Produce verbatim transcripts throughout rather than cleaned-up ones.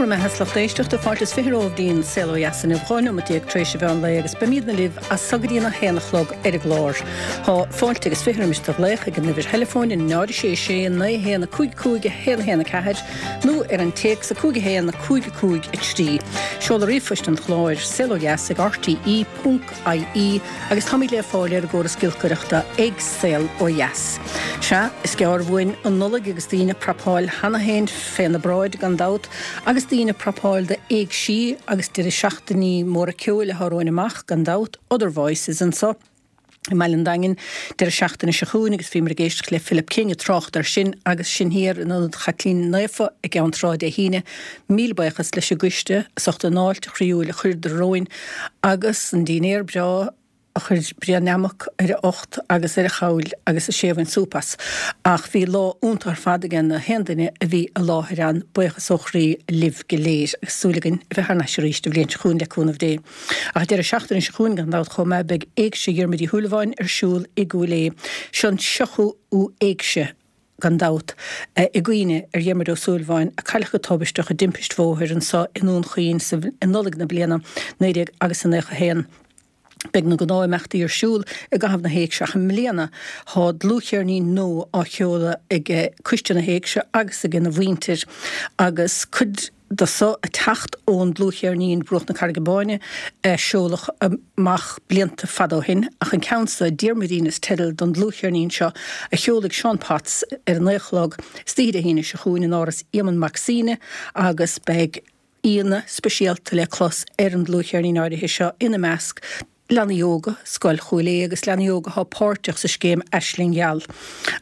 Bhur mbeatha a lucht éisteachta fáilte is fiche romhaibh dtí'n Saol Ó Dheas inniu dhá nóiméad déag tar éis an mheán lae agus beimidne libh as so go dtí an a haon a chlog ar an gclár. Tá fáilte agus fiche roimis do ghlaoch ag an uimhir theileafóin náid a sé sé naoi haon a cúig cúig a haon a haon a ceathair nó ar an téacs a cúig a haon a cúig a cúig a trí. Seoladh ríomhphoist an chláir saol ó dheas ag rte ponc ie agus táimid le fáil ar an gcóras giolcaireachta ag Saol Ó Dheas. Sea, is gearr uainn an Nollaig agus daoine ag prapáil cheana féin féna bráid gan dabht agus daoine ag prapáil d'éigsí agus deireadh seachtainí móra ceoil atá romhainn amach gan dabht, Other Voices anso i mBaile an Daingin deireadh seachtaine seo chugainn agus bhíomar ag éisteacht le Philip King ag trácht air sin agus sin thiar in Ionad Chaitlín Naofa i gCeann Trá Dé hAoine. Míle buíochas leis an gcoiste as ucht an fháilte chroíúil a chuireadar romhainn agus an dinnéar breá a chuir Brian Nammock ar a ucht agus ar a chabhail agus a sé bhain súp as. Ach bhí lá iontach ar fad ag na haon duine a bhí i láthair ann, buíochas ó chroí libh go léir agus súil againn a bheith thar n-ais arís an bhliain seo chugainn le cúnamh Dé. Ach an deireadh seachtaine seo chugainn gan dabht chomh maith beidh Éigse Dhiarmuid Uí Shúilleabháin ar siúl i gCúil Aodha. Seo an tríochú Éigse gan dabht i gcuimhne ar Dhiarmuid Ó Súilleabháin a cailleadh go tubaisteach i dtimpist bhóthair anso i nDún Chaoin sa i Nollaig na bliana naoi déag agus a naocha haon. Beidh na gnáth-imeachtaí ar siúl i gcaitheamh na hÉigse ach i mbliana tá dlúthcheirnín nua á sheoladh ag Coiste na hÉigse agus ag ina mhuintir agus cuid de so ag teacht ón dlúthcheirnín Bruach na Carraige Báine a seoladh amach blianta fada ó shin ach an ceann so, Diarmuidín is teideal don dlúthcheirnín seo a sheolfaidh Seán Potts ar a naoi a chlog istoíche Dé hAoine seo chugainn in Áras Éamonn Mac Suibhne agus beidh aíonna speisialta le clos ar an dlúthcheirnín áirithe seo, ina measc, leanaí óga Scoil Chúil Aodha agus leanaí óga atá páirteach sa scéim Aisling Gheal.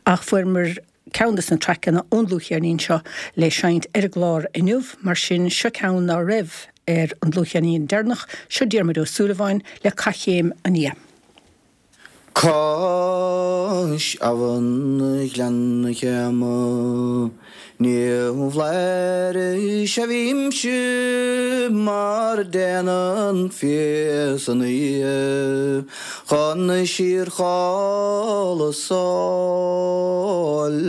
Ach fuaireamar ceann de na traiceanna ón dlúthcheirnín seo le seinnt ar an gclár inniu, mar sin seo ceann ná raibh ar an dlúthcheirnín deireanach, seo Diarmuid Ó Súilleabháin le Cath Chéim an Fhia. Cois abhann Ghleann Chéama Ní bhflairis a bhímse mar a déanann fia san oíche chun síorchodladh 's ól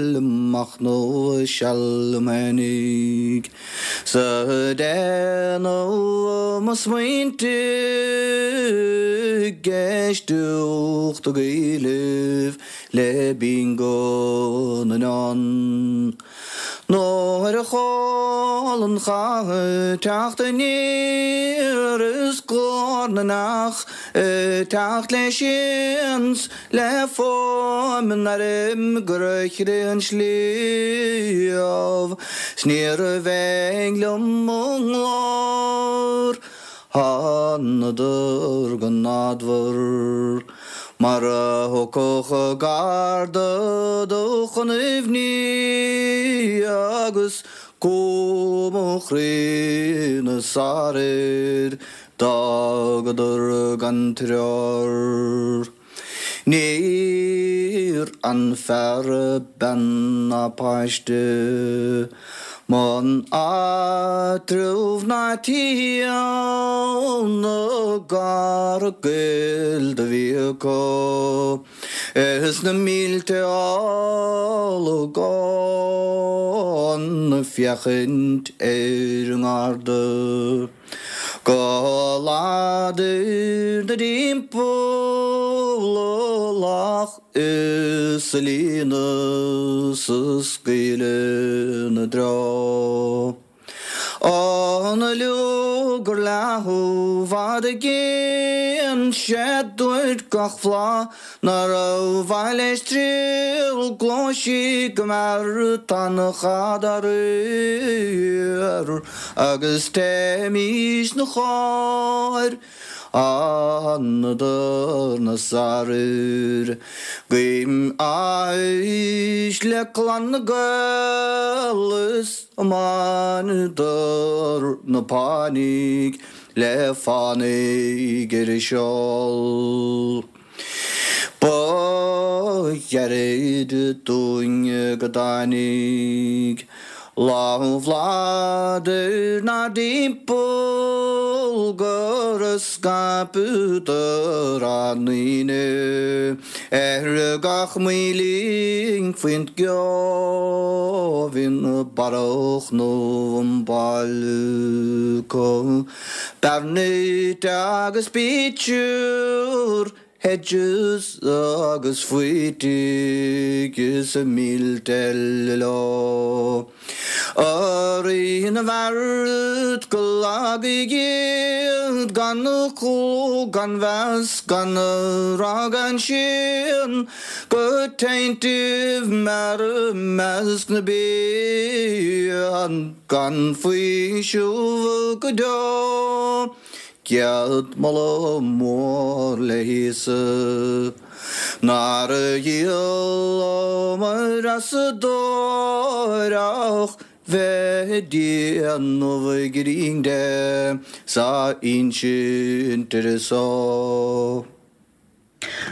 machnamh seal liom fhéinig 's ag déanamh mo smaointe ag éisteacht ag Gaillimh le bingo na ndán. Nuair a chuala an chath ag teacht aniar is glór na n-each ag teacht le sians le fuaim an airm gur chrith an sliabh 's níorbh aon liom mo ghlór. Thánadar gan adhbhar mar a thiocfadh garda do chun aoibhní agus cumha mo chroí 'na sarar d'fhágadar gan treoir. Níor fhan fear, bean ná páiste 'mbun áitreabh ná tí ann gar gaoil do bhí acu is na mílte olagón ag féachaint ar an ngarda. Go láidir 'na dtimpeall a lach is a líonadh 's a scaoileadh 'na dtreo. An luaith gur leath i bhfad i gcéin 'sé dúirt gach flaith nárbh mhaith leis triall gluaisíg go mear tá an chat á riar agus téimís 'na chóir Thánadar 'na sarar Guím áthais le clann na nGael is a mbaineadar na pánaigh le fánaigh ar a seol. Ba ghairid dúinn go dtáinig Lá Bhládair 'nár dtimpeall gur scaipeadar ár ndaoine Ar gach maoilín faoin gceobhin barrach nó an balcó Bearnait agus pictiúr hedges agus faoitigh is a mílte eile leo. A Rí na bhfeart go lagaidh iad gan clú gan mheas gan rath gan séan go teanntaibh mear i measc na bpian gan faoiseamh go deo. Céad moladh mór le hÍosa nár dhíolamar as a dóir ach bheith ag déanamh grinn de 's á insint ar a son.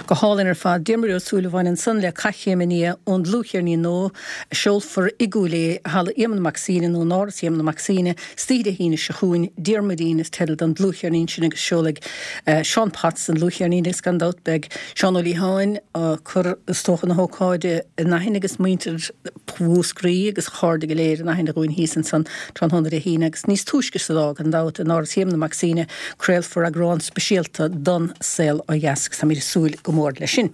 Go hálainn ar fad. Diarmuid Ó Súilleabháin ansan le Caithchéim i nDia ón dlúthcheirnín nua a seolfar i gCúil Aodha i Halla Éamonn Mac Suibhne nó in Áras Éamonn Mac Suibhne istoíche Dé hAoine seo chugainn. Diarmuidín is teideal don dlúthcheirnín sin agus seolfaidh Seán Potts an dlúthcheirnín agus gan dabht beidh Seán Ó Liatháin ag cur is dócha na hócáide in aithne agus muintir Mhúscraí agus a chairde go léir in aithne dhúinn thíos ansan tráthnóna Dé hAoine agus níos túisce sa lá gan dabht in Áras Éamonn Mac Suibhne craolfar eagrán speisialta don Saol Ó Dheas agus táimid ag súil go mór leis sin.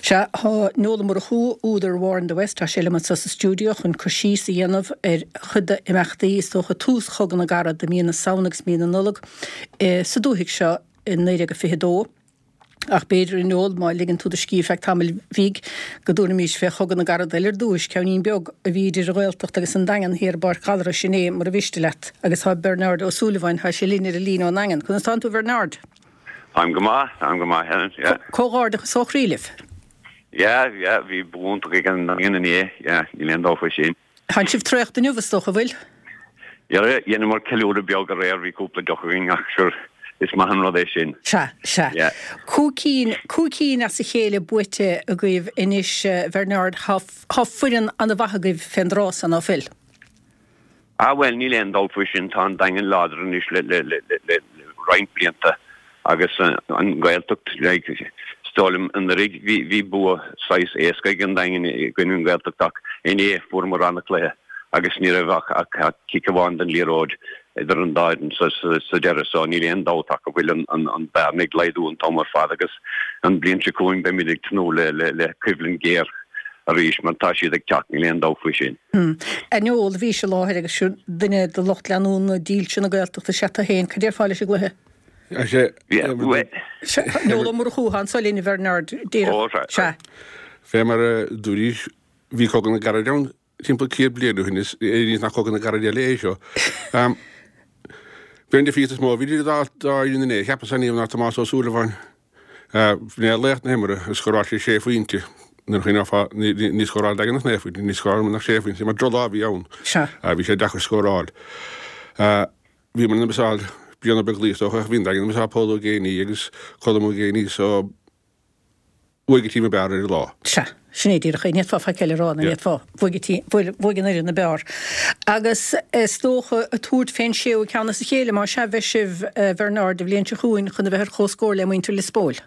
Sea, tá Noel Ó Murchú, údar War in the West, tá sé liom anseo sa stiúideo chun cur síos a dhéanamh ar chuid d'imeachtaí, is dócha tús Chogadh na gCarad i mí na Samhna agus mí na Nollag sa dúthaigh seo i naoi déag a fiche dó. Ach b'fhéidir, a Noel, má ligeann tú do scíth ar feadh tamaill bhig, go dtabharfaimis fé Chogadh na gCarad eile ar dtúis, ceainnín beag a bhí idir an Ghaeltacht agus an Daingean thiar i bPáirc Ghallarais inné, mura mhiste leat. Agus tá Bernard Ó Súilleabháin, tá sé linn ar an líne ón nDaingean. Conas tánn tú, a Bhernard? Táim go maith, táim go maith, Helen, yeah. Comhghairdeachas ó chroí libh. Yeah, yeah, bhí bua iontach ag an nDaingean inné, yeah, níl aon dabht faoi sin. Tánn sibh traochta inniu, is dócha, bhfuil? Yeah, dheineamar ceiliúradh beag aréir, bhí cúpla deoch againn ach sure, is maith an rud é sin. Sea, sea. Yeah. Cúig cinn, cúig cinn as a chéile buaite agaibh anois, Bernard, thá, thá foireann an-mhaith agaibh fén dtráth san, ná fuil? Ah bhuel, níl aon dabht faoi sin, tá an Daingean láidir anois le le le le roinnt blianta agus an Ghaeltacht like is dóigh liom anuraidh bhí bhí bua saghas éasca ag an Daingean i gcoinne an Ghaeltacht ach inné fuaireamar an-chluiche agus ní raibh ach ach ach cic amháin den liathróid idir an dá fhoireann sa sa sa deireadh so níl aon dabht ach go bhfuil an an an bearna ag laghdú an t-am ar fad agus an bhliain seo chugainn beimid ag tnúth le le le coimhlint ghéar arís mar tá siad ag teacht, níl aon dabht faoi sin. A Noel, bhís i láthair agus duine de lucht leanúna dílse na Gaeltachta is ea tú féin. Cad déarfá leis an gcluiche? Noel Ó Murchú, tá anso linn, a Bhernard, díreach. Sea. Fé mar a dúraís, bhí Cogadh na gCarad ann timpeall céad bliain ó shin, is éiríonn nach Cogadh na gCarad eile é seo. B'é an difríocht is mó a bhí idir an dá fhoireann inné, cheapas, ná Tomás Ó Súilleabháin. B'in é laoch na himeartha, scóráil sé sé phointe. Nuair a chuimhneofá, ní scóráil Daingean ach naoi phointe, ní scóráil ach sé phointe, mar drochlá a bhí ann. Bhí sé deacair scóráil. Bhíomar ina miseáil Brian Ó Beaglaoich is dócha, ach bhí an Daingean ina miseáil Pól Ó Géibheannaigh agus Colm Ó Géibheannaigh so bhuaigh an tím ab fhearr ar an lá. Sea, sin é díreach é. Ní fhéadfá faic eile a rá, ní fhéadfá. Bhuaigh an tím, bhuaigh an fhoireann ab fhearr. Agus is dócha ag tabhairt fén séú ceann as a chéile, más ea, bheidh sibh, a Bhernard, an bhliain seo chugainn chun a bheith ar comhscór le muintir Lios Póil.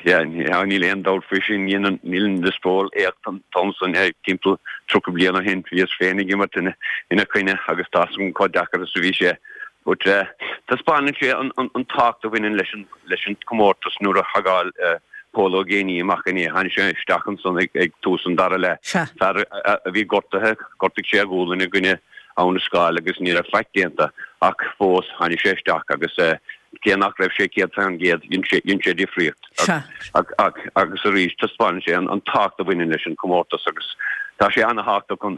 Sea, níl aon dabht faoi sin. Dhein Lios Póil éacht an t-am san, timpeall tríocha bliain ó shin. Bhíos féin ag imirt ina coinne agus tá 'fhios agam chomh deacair is a bhí sé. But taispeánann sé an tábhacht a bhaineann leis an leis an comórtas nuair a thagáil Pól Ó Géibheannaigh amach inné. Tháinig sé isteach ansan ag tús an dara leath. Fear a bhí gortaithe, ghortaigh sé a ghualainn i gcoinne Abha na Scáil agus ní raibh faic déanta ach fós tháinig sé isteach agus cé nach raibh sé céad faoin gcéad dhein sé dhein sé difríocht. Agus arís taispeánann sé an tábhacht a bhaineann leis an chomórtas agus tá sé ana-thábhachtach an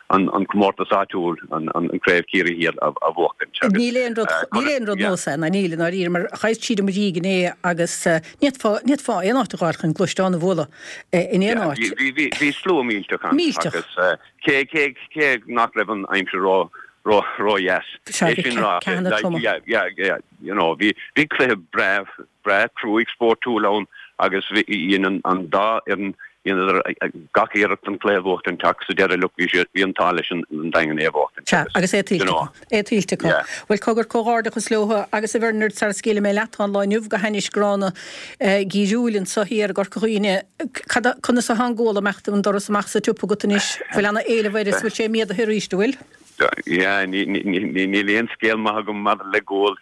an an comórtas áitiúil an an Craobh Chiarraí Thiar a a bhuachaint agus Níl aon rud níl aon rud nós é ná níl i ndáiríre mar chaith siad i mo dhiaidh inné agus ní fhéadfá ní fhéadfá aon áit a ghabháil chun gluaisteán a bhualadh in aon áit. Bhí bhí bhí slua millteach ann agus Cé, cé, cé nach raibh an aimsir ró, ró, ró-dheas. Sea, É bhí sin ráite, ceathanna like, troma. yeah, yeah, yeah, you know, bhí, bhí cluiche breá, breá cruaidh spórtúil ann agus bhí, dhein an, an dá fhoireann Dhéanadar gach iarracht an cluiche a bhuachtaint ach sa deireadh look bhí siad bhí an t-ádh leis an Daingean é a bhuachtaint. Sea, agus é tuillte acu. É tuillte acu. Bhuel cogar comhghairdeachas leo agus a Bhernard sara scaoilfidh mé leat tá an lá inniu go hainnis gránna geimhriúil anso thiar i gCorca Dhuibhne. Cad conas atá an gual amach an doras amach sa tsiopa agat anois? Bhfuil ana éileamh air is bhfuil sé méadaithe arís, an bhfuil? Yeah, níl aon scéal maith agam maidir le gual.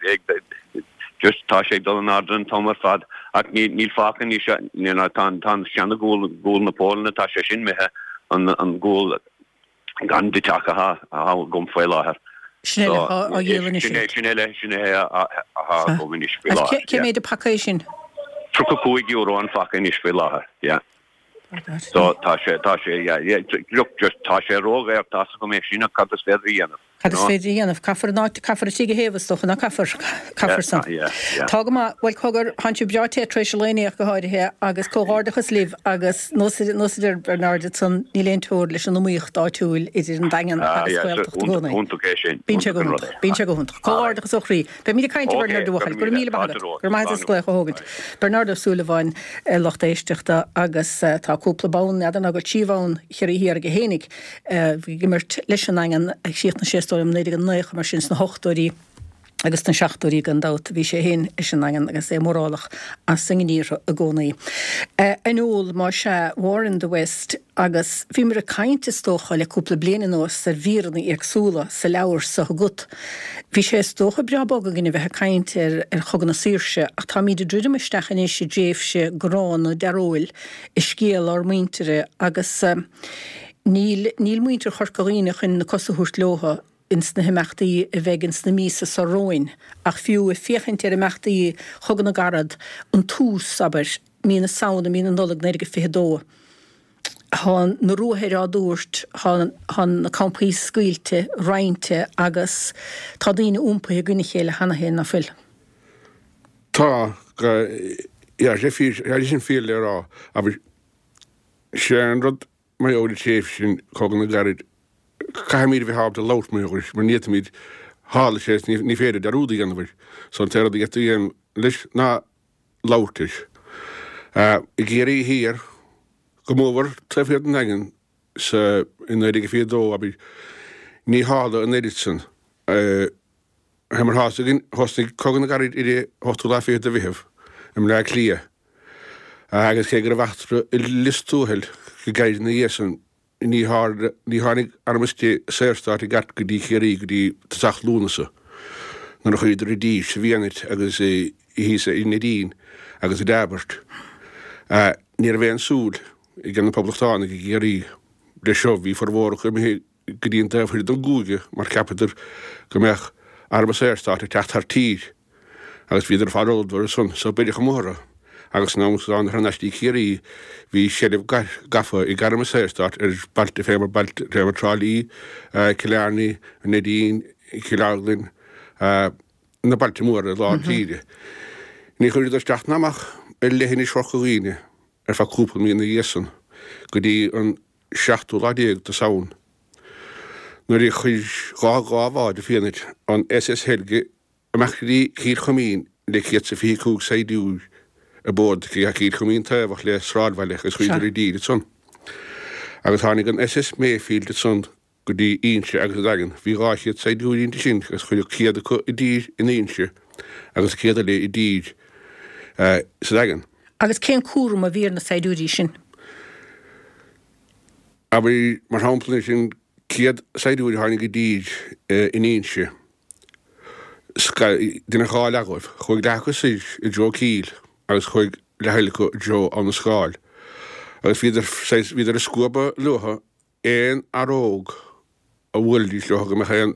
Just tá sé ag dul in airde an t-am ar fad ach níl fágtha anois, tá an seana-ghual, gual na Polainne, tá sé sin imithe, an gual gan deiteach atá agam faoi láthair. Sin eile atá á dhíol anois. Sin eile, sin é atá agam anois faoi láthair. Cé mhéad an paca é sin? Tríocha cúig euro an phaca anois faoi láthair, yeah. So tá sé, tá sé, yeah, yeah, look, just tá sé ródhaor, tá's agam é sin ach cad is féidir a dhéanamh? Cad is féidir a dhéanamh? Caithfear an áit, caithfear an tigh a théamh is dócha, ná caithfear? Caithfear san. Yeah, yeah. Tá go maith, bhuel cogar, thánn sibh breá te tar éis an lae inné ach go háirithe agus comhghairdeachas libh agus nós, nós a deir Bernard ansan, níl aon teora leis an iomaíocht áitiúil idir an Daingean Ah, agus yeah, Gaeltacht i gcónaí. Iontach é sin. Bíonn sé go Iontach an rud hiontach, é. bíonn sé go hiontach. Comhghairdeachas ó chroí. Beimid ag caint a Ok, Bhernard a go bhuachaill. raibh Go raibh míle míle maith agat. fáilte romhat. Go raibh maith agat as Slán glaoch a thógaint. Bernard Ó Súilleabháin, lucht éisteachta agus tá cúpla bonn, n'fheadar ná go bhfuil trí bhonn Chiarraí Thiar aige fhéinig, bhí ag imirt leis an nDaingean ag chríochnaigh sé is dóigh liom naoi déag naocha mar sin sna hochtóidí agus sna seachtóidí gan dabht bhí sé féin leis an nDaingean agus é mórálach as a ngníomhartha i gcónaí. An eol más ea War in the West agus bhíomar ag caint is dócha le cúpla bliain anuas ar mhíreanna éagsúla sa leabhar seo agat. Bhí sé is dócha breá bog againn a bheith ag caint ar ar Chogadh na Saoirse ach táimid ag druidim isteach anois i dtréimhse gránna dearóil i scéal ár muintire agus níl níl muintir Chorca Dhuibhne chun na cosa a thabhairt leo ins na himeachtaí a bheidh ins na míosa seo romhainn ach fiú ag féachaint ar imeachtaí Chogadh na gCarad an tús abair mí na Samhna mí na Nollag naoi déag fiche dó. Tá na ruathair á dtabhairt, tá na campaí scaoilte, roinnte agus tá daoine iompaithe i gcoinne a chéile cheana féin, ná fuil? Tá, yeah, sé fíor, sé sin fíor le rá, abair, sé an rud mar gheall ar an tréimhse sin, Cogadh na gCarad, caithfimid a bheith ábalta labhairt mar gheall air, mar ní fhéadfaimid, tharla sé is ní féidir dearúd a dhéanamh air. So an t-aon rud a d'fhéadfaí a dhéanamh leis ná labhairt air. I gCiarraí Thiar, go mór taobh thiar den Daingean sa i naoi déag fiche dó, abair, ní tharla an oiread san. Fé mar tá's againn, thosnaigh Cogadh na gCarad ar an ochtú lá fichead de Mheitheamh i mBleá Cliath agus cé go raibh eachtra i Lios Tuathail go gairid ina dhiaidh san, ní ní tháinig Arm an Saorstáit i gceart go dtí Ciarraí go dtí tosach Lúnasa nuair a chuadar i dtír sa bhFianait agus thíos i Neidín agus i dTaibhirt. Ní raibh aon súil ag na Poblachtánaigh i gCiarraí leis seo, bhí formhór acu imithe go dtí an taobh thoir den gcúige mar cheapadar go mbeadh Arm an Saorstáit ag teacht thar tír agus bhíodar ar fad ullmhaithe ar son so beireadh amuigh orthu agus san am san thar n-ais dtí Ciarraí bhí seilbh gafa ag Arm an Saorstáit ar bailte fé mar bailte fé mar Trá Lí, Cill Airne, an Neidín, Cill Orglan, na bailte móra i lár tíre. Ní chuireadar isteach ná amach ar leithinis Chorca Dhuibhne ar feadh cúpla mí ina dhiaidh san go dtí an seachtú lá déag de Samhain nuair a chuir dhá dhá bhád i Fianait an S S Helge amach go dtí Cill Choimín le céad is a fiche cúig saighdiúir ar bord aici. Cill Choimín taobhach le sráidbhaile agus chuadar i dtír ansan. Agus tháinig an S S Mayfield ansan go dtí Inse agus an Daingean. Bhí dhá chéad saighdiúir inti sin agus cuireadh céad acu i dtír in Inse agus an céad eile i dtír sa Daingean. Agus cén cúram a bhí ar na saighdiúirí sin? Abair, mar shampla, sin céad saighdiúir a tháinig i dtír in Inse. Deineadh dhá leath dhóibh. Chuaigh leath acu soir i dtreo Cill agus chuaigh leath eile acu i dtreo Abha na Scáil. Agus bhíodar, saghas, bhíodar ag scuabadh leothu aon fhear óg a bhuailfidís leo go mbeadh aon,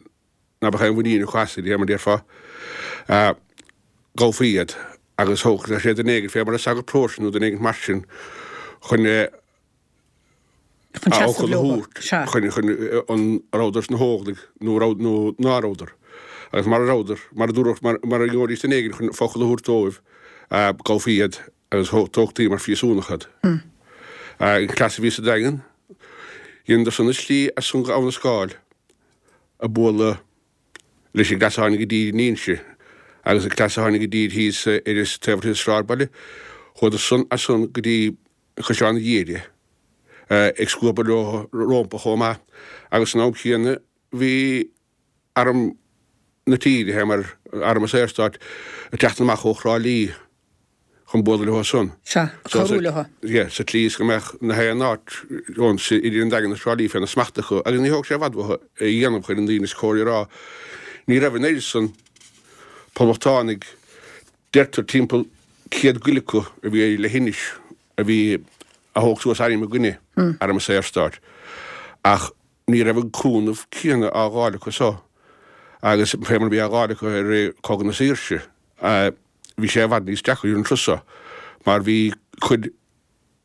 ná beadh aon mhuinín acu as, mar a déarfá. Gabhfaí iad agus thógfadh sé duine éigin fé mar an sagart paróiste nó duine éigin mar sin chun a Chun seasamh fhocal a leo. thabhairt Sea. chun, chun an rabhadar sna hÓglaigh nó raibh nó ná rabhadar. Agus mara rabhadar, mar a dúradh, mar, mar a gheobhaidís duine éigin chun focal a thabhairt dóibh, gabhfaí iad agus tógtaí mar phríosúnach iad. An cleas a bhí sa Daingean, dheineadar san a slí as san go Abha na Scáil a bualadh leis an gcleas a tháinig i dtír in Inse agus an cleas a tháinig i dtír thíos ar an taobh thiar den sráidbhaile, chuadar san as san go dtí Caisleán an Ghiaire. ag scuabadh leo rompu chomh maith agus san am céanna bhí arm na tíre, fé mar Arm an Saorstáit, ag teacht amach ó Thrá Lí chun bualadh leo san. Sea, cabhrú leo. Yeah, sa tslí is go mbeadh na haon áit ann idir an Daingean agus Trá Lí féna smacht acu agus ní thóg sé i bhfad uathu é a dhéanamh chun an daoine is cóir a rá. Ní raibh an oiread san poblachtánaigh, deirtear timpeall céad goile acu a bhí ar leithinis a bhí a thóg suas airm i gcoinne Arm an Saorstáit ach ní raibh an cúnamh céanna á dh'fháil acu so agus fé mar a bhí á dh'fháil acu i rith Cogadh na Saoirse. Bhí sé i bhfad níos deacra an turas so mar bhí cuid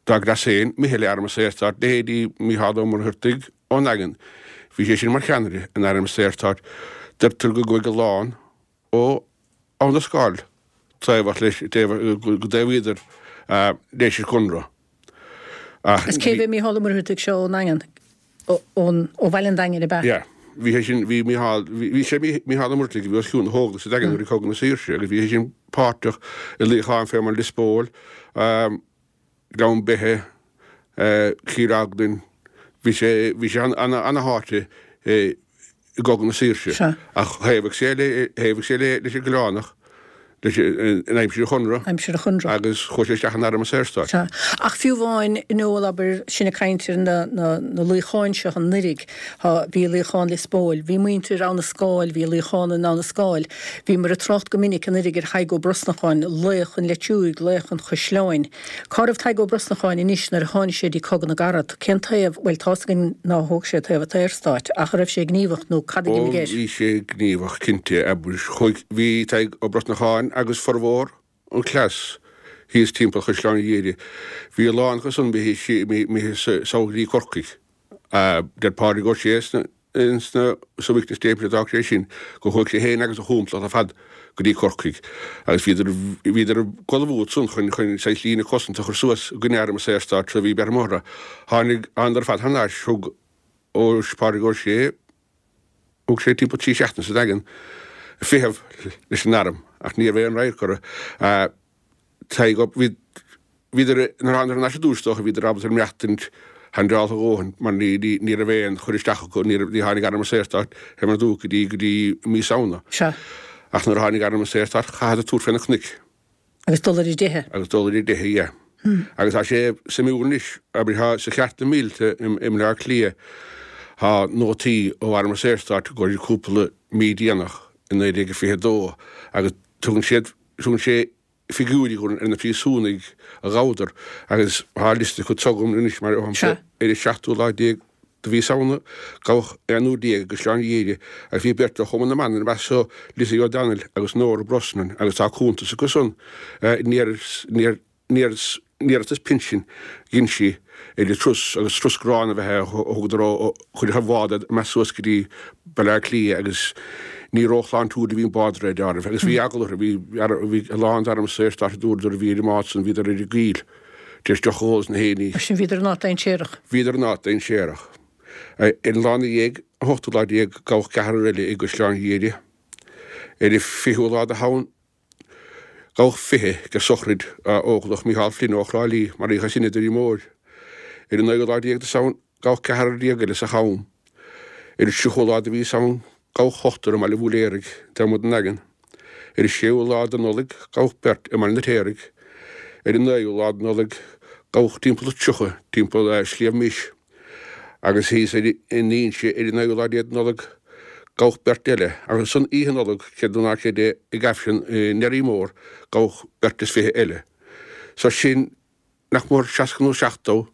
dá gcleas féin imithe le Arm an Saorstáit, leithéidí Mícheál Ó Muircheartaigh ón nDaingean. Bhí sé sin mar cheannaire in Arm an Saorstáit. Deirtear go gcuaigh a lán ó Abhainn an Scáil taobhach leis, go dtaobhaíodar leis an gConradh. Ach Is cé bhí Mícheál Ó Muircheartaigh seo ón nDaingean? Ón, ó bhaile an Daingin ab ea? Yeah. Bhí sé sin, bhí Mícheál, bhí sé Mícheál Ó Muircheartaigh a bhí os cionn na hÓglaigh sa Daingean i rith Cogadh na Saoirse agus bhí sé sin páirteach i luíocháin fé mar Lios Póil, Gleann Beithe, Cill Orglan, bhí sé, bhí sé ana-tháite i gCogadh na Saoirse. Ach thaobhaigh sé le, thaobhaigh sé le, leis an gCoileánach. leis in aimsir an Chonradh. Aimsir an Chonradh. Agus chuaigh sé isteach in Arm an Saorstáit. Sea. Ach fiú amháin, Noel, abair, sinn ag caint ar na, na, na luíocháin seo anuiridh, tá, bhí luíochán Lios Póil, bhí muintir Abha na Scáil, bhí luíochán in Abha na Scáil, bhíomar ag trácht go minic anuiridh ar Thadhg Ó Brosnacháin, laoch an Leitriúigh, laoch an Chaisleáin. Cá raibh Tadhg Ó Brosnacháin anois nuair a tháinig sé dtí Cogadh na gCarad? Cén taobh, bhuel, tá's againn nár thóg sé taobh an tSaorstáit, ach an raibh sé gníomhach nó cad a Ó, d'imigh air? bhí sé gníomhach, cinnte. Abair, chuaigh, bhí Tadhg Ó Brosnacháin agus formhór an cleas thíos timpeall Chaisleán Ghiarraí. Bhí a lán acu san imithe sall go dtí Corcaigh. Deir Pádraig Ó Sé sna, sna, sa witness statement a d'fhág sé sin go chuaigh sé féin agus a chúmplacht ar fad go dtí Corcaigh agus bhíodar, bhíodar ag ullmhú ansan chun, chun saghas líne cosanta a chur suas i gcoinne arm an Saorstáit so bhí beart amuigh orthu. Tháinig, thánadar ar fad thar n-ais, thug Ó, Pádraig Ó Sé, thug sé timpeall trí seachtaine sa Daingean ag feitheamh leis an arm ach ní raibh aon radharc orthu. Tadhg Ó, bhí, bhíodar, nuair a thánadar thar n-ais ar dtús is dócha, bhíodar ábalta maireachtaint handáilte a dhóthain mar ní, ní, ní raibh aon chur isteach acu, ní raibh, ní tháinig arm an Saorstáit fé mar a dúradh go dtí, go dtí mí Samhna. Sea. Ach nuair a tháinig arm an Saorstáit chaitheadar tabhairt fé na cnoic. Agus dul ar a dteitheadh. Agus dul ar a dteitheadh, yeah. Agus tá sé suimiúil anois, abair, tá sa Chartlann Mhíleata i mBaile Átha Cliath, tá nótaí ó Arm an Saorstáit go dtí cúpla mí déanach i naoi déag a fiche a dó agus tugann siad, tugann sé figiúirí dhúinn ar na príosúnaigh a ghabhadar agus tá liosta acu agam anois mar shampla ar an seachtú lá déag de mhí Samhna gabhadh aonúr déag i gCaisleán Ghiarraí agus bhí beirt ó Chumann na mBan ina measc so, Lizzie O'Donnell agus Nora Brosnan agus tá cuntas acu san ar an iarratas pinsin dhein sí ar an turas agus turas gránna ab ea é a thugadar ó chuir an bhád iad amach suas go dtí Baile Átha Cliath agus ní róshláintiúil a bhí an bád ar deireadh agus bhí eagla orthu, bhí bhí a lán d'arm an Saorstáit a dúradar a bhí ar an mbád san, bhíodar ar a gcuíl tar éis deoch a ól is na héinní. Mar sin bhíodar in áit dainséarach. Bhíodar in áit dainséarach. Ar an lá ina dhiaidh, an t-ochtú lá déag, gabhadh ceathrar eile i gCaisleán Ghiarraí. Ar an fichiú lá de Shamhain, Gabhadh fiche ag sochraid Óglach Mícheál Flynn ó Thrá Lí, maraíodh é sin i dToirí Móir. Ar an naoú lá déag de Samhain, gabhadh ceathrar déag eile sa Cham. Ar an tríochú lá de mhí Samhain, gabhadh ochtar i mBaile Bhúiléaraigh, taobh amuigh den Daingean. Ar an séú lá de Nollaig, gabhadh beirt i mBaile an Fheirtéaraigh. Ar an naoú lá de Nollaig, gabhadh timpeall tríocha timpeall Sliabh Mis. Agus thíos in Inse ar an naoú lá déag de Nollaig, gabhadh beirt eile, agus ansan Oíche Nollag, creid nó ná creid é, ag Aifreann i nDoire Mór, gabhadh beirt is fiche eile. So sin nach mór seasca nó seachtó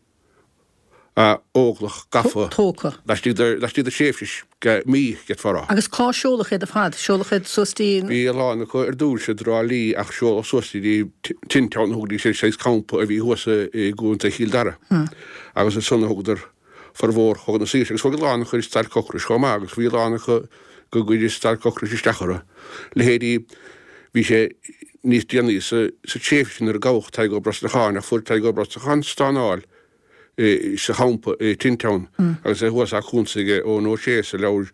Óglach gafa Tógtha. laistigh de laistigh de thréimhse mí, d'fhéadfá a rá. Agus cá seoladh iad ar fad? Seoladh iad suas dtí. Bhí a lán acu ar dtús i dTrá Lí ach seoladh suas dtí Tintown a thugaidís air, saghas campa a bhí thuas i gContae Chill Dara. Agus ansan a thugadar formhór Chogadh na Saoirse agus chuaigh a lán acu ar stailc ocrais chomh maith agus bhí a lán acu go gcuireadh stailc ocrais isteach orthu. Leithéidí, bhí sé níos déanaí sa tréimhse sin nuair a gabhadh Tadhg Ó Brosnacháin ach fuair Tadhg Ó Brosnacháin stánáil sa champa i Tintown agus é thuas á cuntas aige Eoin Ó Sé sa leabhar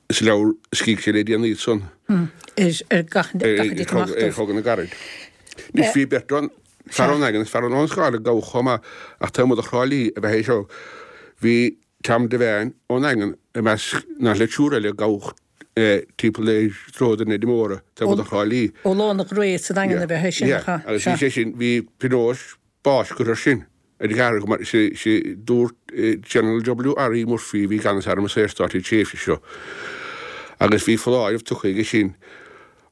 sa leabhar a scrígh sé le déanaí ansan ar gach ar Chogadh na gCarad. Anois bhí beirt ann. Fear ón nDaingean, fear ón Abhainn an Scáil a gabhadh chomh maith ach taobh amuigh de Thrá Lí ab ea é seo. Bhí Tom Devane ón nDaingean i measc na le triúr eile a gabhadh timpeall ar Dhroichead na Neide Móire taobh amuigh de Thrá Lí. Ó Lána Ghrae sa Daingean ab ea é sin, nach ea? Agus bhí sé sin, bhí pionós báis curtha air sin ar an gceathrar mar sé dúirt General W. R. E. Murphy a bhí i gceannas Arm an Saorstáit an tréimhse seo agus bhí foláireamh tugtha aige sin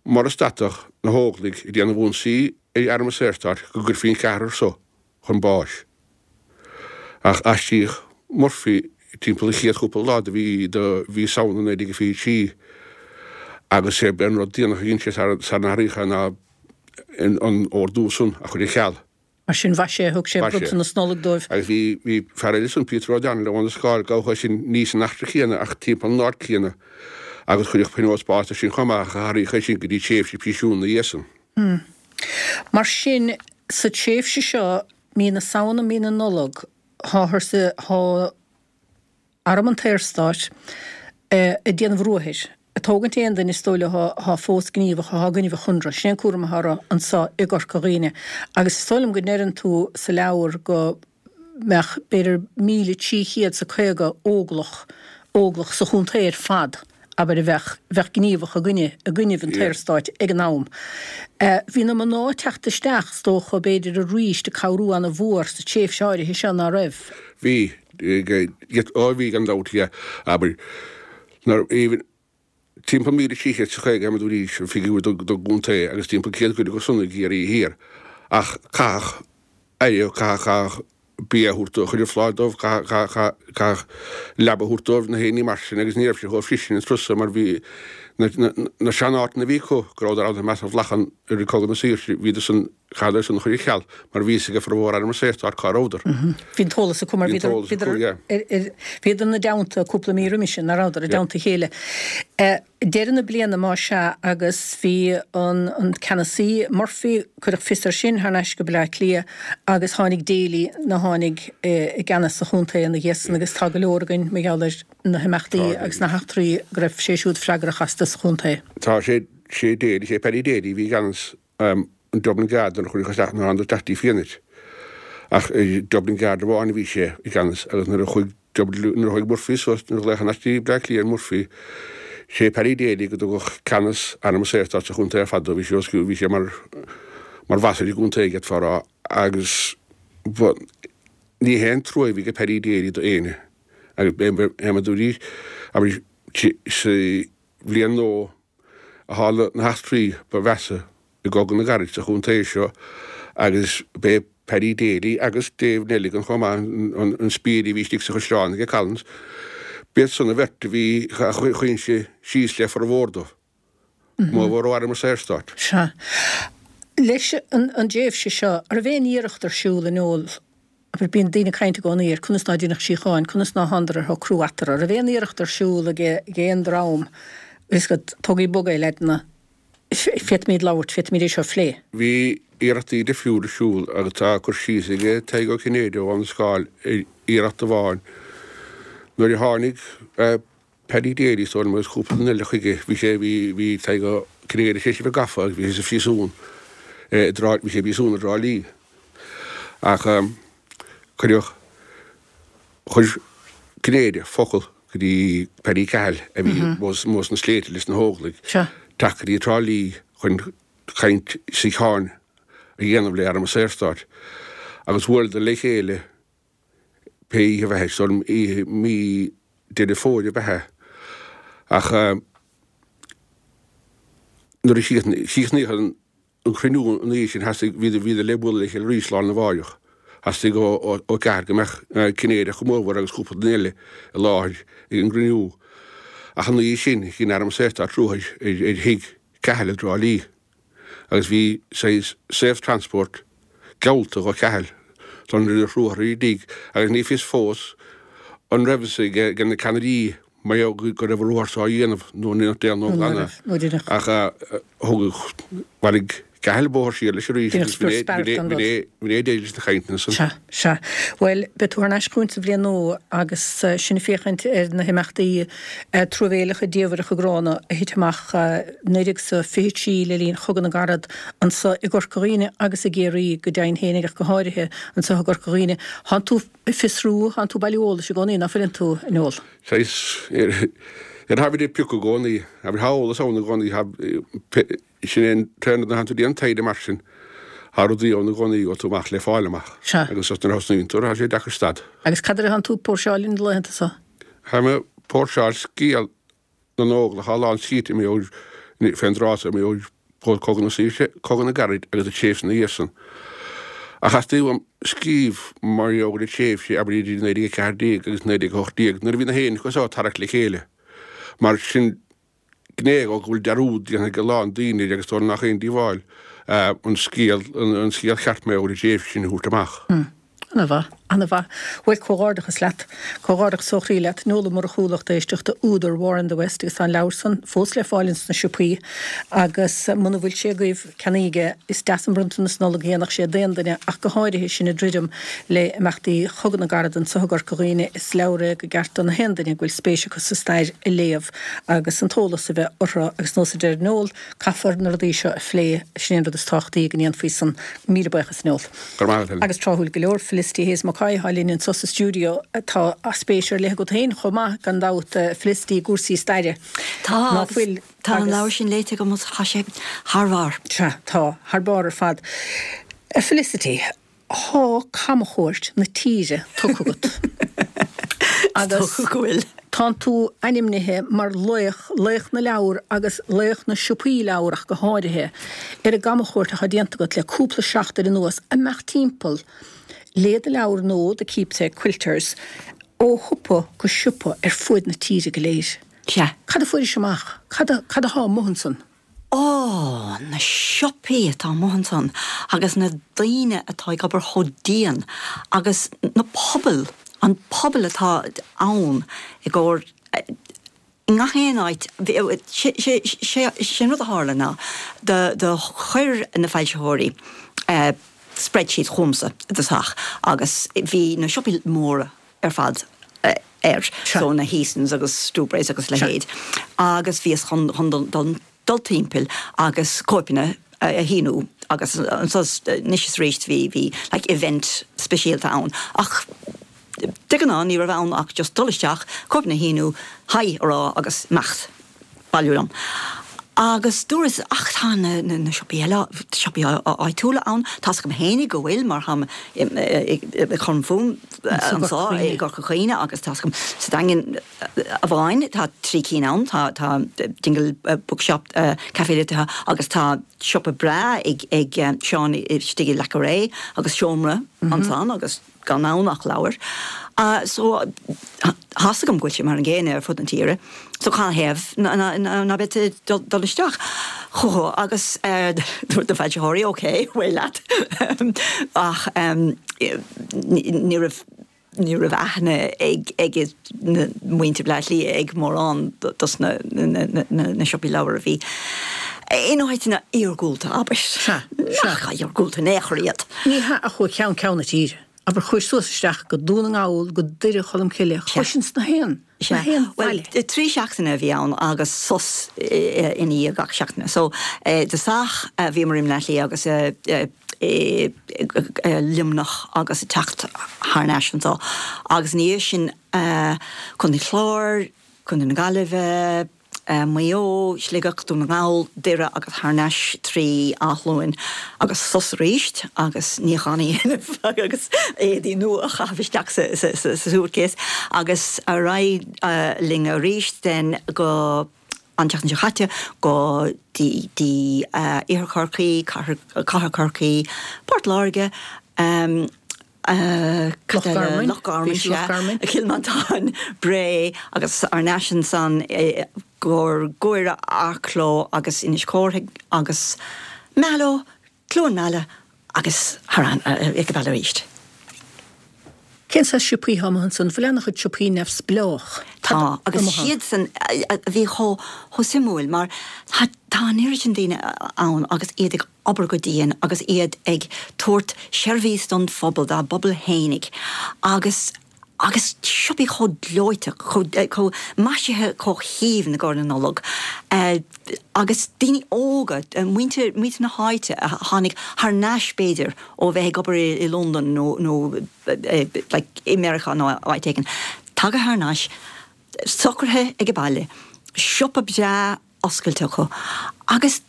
mura stadfadh na hÓglaigh ag déanamh ionsaí ar Arm an Saorstáit go gcuirfí an ceathrar so chun báis. Ach aistríodh Murphy timpeall an chéad chúpla lá de mhí de mhí Samhna naoi déag fiche trí agus sé an rud déanach a dhein sé sara n-athraíodh é ná an ordú san a chur ar ceal. Mar sin mhaise, thug sé bronntanas Nollag dóibh. Agus bhí bhí fear eile ansan, Peter O'Donnell, ó Abhainn an Scáil, gabhadh é sin ní san eachtra chéanna ach timpeall an áit chéanna agus cuireadh pionós báis air sin chomh maith ach athraíodh é sin go dtí tréimhse príosúin ina dhiaidh san. Mar sin, sa tréimhse seo, mí na Samhna, mí na Nollag, táthar sa, tá Arm an tSaorstáit ag déanamh ruathair, ag tógaint aon duine is dóigh leo atá fós gníomhach, atá i gcoinnibh an Chonradh. Sin é an cúram atá orthu anso i gCorca Dhuibhne. Agus is dóigh liom go ndeireann tú sa leabhar go mbeadh b'fhéidir míle trí chéad 's a caoga óglach, óglach sa chontae ar fad, abair, a bheadh, bheadh gníomhach i gcoinne, i gcoinnibh an tSaorstáit ag an am. Bhí na mná ag teacht isteach, is dócha, b'fhéidir arís ag cabhrú ana mhór sa tréimhse áirithe seo, ná raibh? Bhí, ó bhí gan dabht, yeah, abair, nuair, even, timpeall míle trí chéad 's a caoga a dúraís, an figiúr don gcontae agus timpeall céad cuid acu san i gCiarraí Thiar. Ach caitheadh aire, caitheadh, caitheadh bia a thabhairt dóibh, chuir an phlá dóibh, caitheadh, caitheadh leaba a thabhairt dóibh, na héinní mar sin agus ní raibh sé chomh fris sin an turas mar bhí na, na, na seanáiteanna a bhí acu go rabhadar ann i measc an bhlachan i rith Cogadh na Saoirse, bhíodar san, chaitheadar san a chur ar ceal mar bhí fhios ag formhór Arm an Saorstáit cá rabhadar. Bhí an t-eolas acu mar bhíodar, bhíodar, bhíodar ina dteannta cúpla mí roimis sin, nach rabhadar, i dteannta a chéile. Deireadh na bliana más ea agus bhí an an ceannasaí Murphy, cuireadh fios air sin thar n-ais go Baile Átha Cliath agus tháinig Daly nó tháinig i gceannas sa chontae ina dhiaidh san agus tá go leor againn mar gheall ar na himeachtaí agus na heachtraí go raibh sé siúd freagrach astu sa chontae. Tá sé sé Daly, sé Paddy Daly a bhí i gceannas an Dublin Guard nuair a chuireadh isteach nuair a tháinig isteach dtí Fianait ach i Dublin Guard amháin a bhí sé i gceannas agus nuair a chuaigh Nuair a chuaigh Murphy suas, nuair a ghlaodh thar n-ais dtí Bleá Cliath ar Murphy, sé Paddy Daly go dtugadh ceannas Arm an Saorstáit sa chontae ar fad dó. Bhí sé os cionn, bhí sé mar, mar bhoss ar an gcontae, d'fhéadfá a rá, agus ba, ní haon trua a bhí ag Paddy Daly do éinne. Agus b'é mar dúraís, abair, sa bhliain nó a tharla na heachtraí ba mheasa i gCogadh na gCarad sa chontae seo agus b'é Paddy Daly agus Dave Nelligan chomh maith, an spiaire a bhí istigh sa chaisleán aige Collins, b'iad san an bheirt a bhí a choinnigh síos le formhór dóibh, mórmhór ó Arm an Saorstáit. Sea. Leis an dtréimhse seo, an raibh aon iarracht ar siúl a Noel, abair, bíonn daoine ag caint i gcónaí ar conas ná deineadh síocháin, conas ná thánadar ar shocrú eatarthu, an raibh aon iarracht ar siúl ag aon dream, fhios agat, tógaigí bog é, leaideanna, Féadfaimid labhairt, féadfaimid é seo a phlé. Bhí iarrachtaí difriúla ar siúl agus tá cur síos aige Tadhg Ó Cinnéide ó Abhainn an Scáil ar iarracht amháin nuair a tháinig Paddy Daly is dóigh liom agus cúpla duine eile chuige. Bhí sé, bhí, bhí Tadhg Ó Cinnéide tar éis a bheith gafa agus bhí sé sa phríosún i dTrá, bhí sé i bpríosún i dTrá Lí. Ach cuireadh, chuir Cinnéide focal go dtí Paddy Cahill a bhí amuigh sna sléibhte leis na hÓglaigh, teacht go dtí Trá Lí chun caint síocháin a dhéanamh le Arm an Saorstáit agus bhuaileadar le chéile pé oíche ab ea é, is dóigh liom oíche mí Deireadh Fómhair ab ea é. Ach nuair a chríochnaíodh an an cruinniú an oíche sin theastaigh, bhíodar, bhíodar le bualadh le chéile arís lá arna mháireach. Theastaigh ó Ó Ceathair go mbeadh Cinnéide go mórmhór agus cúpla duine eile i láthair ag an gcruinniú. Ach an oíche sin dhein Arm an Saorstáit ruathar ar ar thigh Cahill i dTrá Lí agus bhí saghas safe transport geallta do Cahill don rinneadh ruathar ar a dtigh agus ní fios fós an raibh fhios ag na ceannairí Mar gheall go raibh an ruathar seo á dhéanamh nó ní nach dtéann nó glanadh ach thugadh, bhailigh Ceathail bóthar siar leis arís agus b'in é deireadh leis na cainteanna san. Sea, sea. Bhuel, beidh tú thar n-ais chugainn sa bhliain nua agus sinn ag féachaint ar na himeachtaí truamhéileacha diamhaireacha gránna a thit amach naoi déag is a fiche trí le linn Chogadh na gCarad anso i gCorca Dhuibhne agus i gCiarraí go deimhin féinig ach go háirithe anso i gCorca Dhuibhne. Thánn tú ag fiosrú, thánn tú ag bailiú eolais i gcónaí, ná fuileann tú, a Noel? Saghas, ar tháimid ag piocadh i gcónaí, abair, thá eolas ann i gcónaí, thá, sin é an t-aon rud, nuair a thánn tú ag déanamh taighde mar sin, thá rudaí ann i gcónaí a gheobhaidh tú amach le fáil amach. Sea. Agus nuair a thosnaíonn tú, thá sé deacair stad. Agus cad air a thánn tú ag póirseáil na laethanta so? Tháim ag póirseáil scéal na nÓglach, thá a lán scríte fén dtráth so, Cogadh na Saoirse, Cogadh na gCarad agus an tréimhse ina dhiaidh san. Ach theastaigh uaim scríobh mar gheall ar an tréimhse, abair idir naoi déag a ceathair déag agus naoi déag a hocht déag, nuair a bhí na héireannaigh so ag tarrac le chéile. Mar sin gné dhó go bhfuil dearúd déanta ag a lán daoine air agus is dóigh liom nach aon díobháil an scéal, an scéal ceart mar gheall ar an tréimhse sin a thabhairt amach. Ana-mhaith, ana-mhaith. Bhuel, comhghairdeachas leat. Comhghairdeachas ó chroí leat. Noel Ó Murchú, lucht éisteachta, údar War in the West agus tá an leabhar san fós le fáil ins na siopaí agus muna bhfuil sé agaibh, ceannaígí é. Is deas an bronntanas Nollag a dhéanfadh sé d'aon duine ach go háirithe sinn ag druidim le imeachtaí Chogadh na gCarad anso i gCorca Dhuibhne. Is leabhar é go gceart do na haon duine go bhfuil spéis acu sa stair a léamh agus an t-eolas a bheith orthu agus nós a deir Noel, caithfear na rudaí seo a phlé, sin é an rud is tábhachtaí go ndéanfaí san. Míle buíochas Noel. Go raibh maith agat, Helen. Agus tráthúil go leor, Felicity Hayes Mackay atá linn anso sa stiúideo. Tá spéis ar leith agat féin chomh maith, gan dabht, Felicity, i gcúrsaí staire. Tá, Ná agus fuil? tá an Agus. leabhar sin léite agam agus tá sé thar barr. Sea, tá, thar barr ar fad. Felicity, thá camchuairt na tíre tugtha agat. Is Agus dócha go bhfuil. tánn tú ainmnithe mar laoch, laoch na leabhar agus laoch na siopaí leabhar ach go háirithe, ar an gcamchuairt atá déanta agat le cúpla seachtain anuas, imeacht timpeall le do leabhar nua, The Keepsake Quilters, ó shiopa go siopa ar fuaid na tíre go léir. Sea. Cad a fuairis amach? Cad a, cad athá amuigh ansan? Ó, na siopaí atá amuigh ansan agus na daoine atá ag obair chomh dian agus na pobail, an pobal atá ann i gcomhair i ngach aon áit. Sé an rud a tharla ná do do chuir na foilsitheoirí spreadsheet chugamsa i dtosach agus bhí na siopaí móra ar fad air, so na Heasons agus Dubreys agus leithéid agus bhíos chun chun dul dul timpeall agus cóipeanna a shíniú agus anso anois is arís bhí bhí like event speisialta ann ach de ghnáth ní raibh ann ach just dul isteach, cóipeanna a shíniú, hi a rá agus imeacht, bailiú liom. Agus dúras ach tá na na siopaí eile, siopaí áitiúla ann, tá's agam fhéinig go bhfuil mar táim ag cur fúm anso i gCorca Dhuibhne agus tá's agam sa Daingean amháin tá trí cinn ann, tá tá Dingle Bookshop, Café Liteartha agus tá siopa breá ag ag Seán istigh i Leac an Ré agus seomra ansan agus gan ann ach leabhair. So tá's agam go bhfuil sé mar an gcéanna ar fud na tíre. So canathaobh ná beadh tú ag dul isteach chucu agus dúirt na foilsitheoirí ok, bhuel leat ach ní raibh ní raibh aithne ag ag na muintir Bhaile Átha Cliath ag mórán dos na na siopaí leabhar a bhí in áiteanna iargúlta, abair. Sea, sea. Nach iargúlta in aon chor iad. Ní hea ach ó cheann ceann na tíre. Abair, chuais suas isteach go Dún na nGall, go Doire Cholm Cille, chuais ins na haon, na haon Bhuel, bhaile. trí seachtaine a bhí ann agus sos i ndiaidh gach seachtaine. So, i dtosach bhíomar i mBleá Cliath agus i Luimneach agus ag teacht thar n-ais anseo agus ina dhiaidh sin Contae an Chláir, Contae na Gaillimhe, Maigh Eo, Sligeach, Dún na nGall, Doire agus thar n-ais trí Áth Luain agus sos arís agus níochán a dhéanamh agus éadaí nua a chaitheamh isteach sa suitcase agus ar aghaidh linn arís then go an tseachtain seo caite go dtí Iarthar Chorcaí, Cathair Chorcaí, Port Láirge, Loch Garman, Loch Garman, sea, Cill Mhantáin, Bré agus thar n-ais ansan i gcomhair Guaire, Arklow agus Inis Córthaidh agus Mallow, Cluain Meala agus thar ag an baile arís. Cén saghas siopaí atá amuigh ansan? Bhfuil an-chuid siopaí neamhspleách Tá, agus siadsan a bhí chomh suimiúil mar tá an oiread sin daoine ann agus iad ag obair go dian agus iad ag tabhairt seirbhís don phobal, dá bpobal fhéinig agus agus siopaí chomh gleoite, chomh maisithe chomh haoibhinn i gcomhair na Nollag agus daoine óga, muintir muintir na háite a tháinig thar n-ais b'fhéidir ó bheith ag obair i Londain nó nó like i Meiriceá nó áit éigin, tagtha thar n-ais, socraithe ag baile, siopa breá oscailte acu agus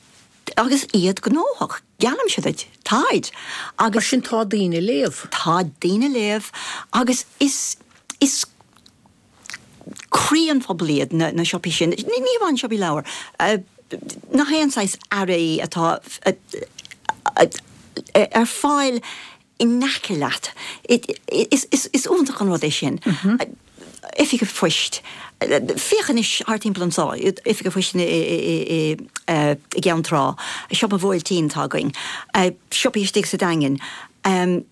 agus iad gnóthach, geallaimse duit, táid agus. Mar sin tá daoine ag léamh. Tá daoine ag léamh agus is is croí an phobail iad na na siopaí sin, ní ní amháin siopaí leabhar, nach aon saghas earraí atá ar fáil in aice leat. Is iontach an rud é sin. Oifig an Phoist. Féach anois thart timpeall anseo, Oifig an Phoist i gCeann Trá, Siopa an Bhuailtín atá againn, siopaí istigh sa Daingean,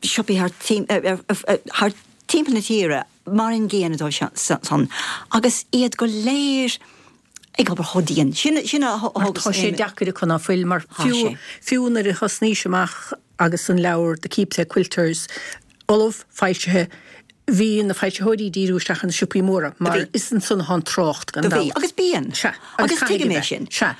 siopaí thart timpeall na tíre mar an gcéanna dóibh san agus iad go léir ag obair chomh dian. Sin sin a Mar tá sé deacair acu ná fuil mar fiú fiú nuair a thosnaís amach agus an leabhar The Keepsake Quilters ullamh, foilsithe, bhí na foilsitheoirí ag díriú isteach ar na siopaí móra mar is ansan atá an trácht gan Do bhí, dabht. agus bíonn. Sea, agus agus caithfidh tuigim a é bheith. sin. Sea.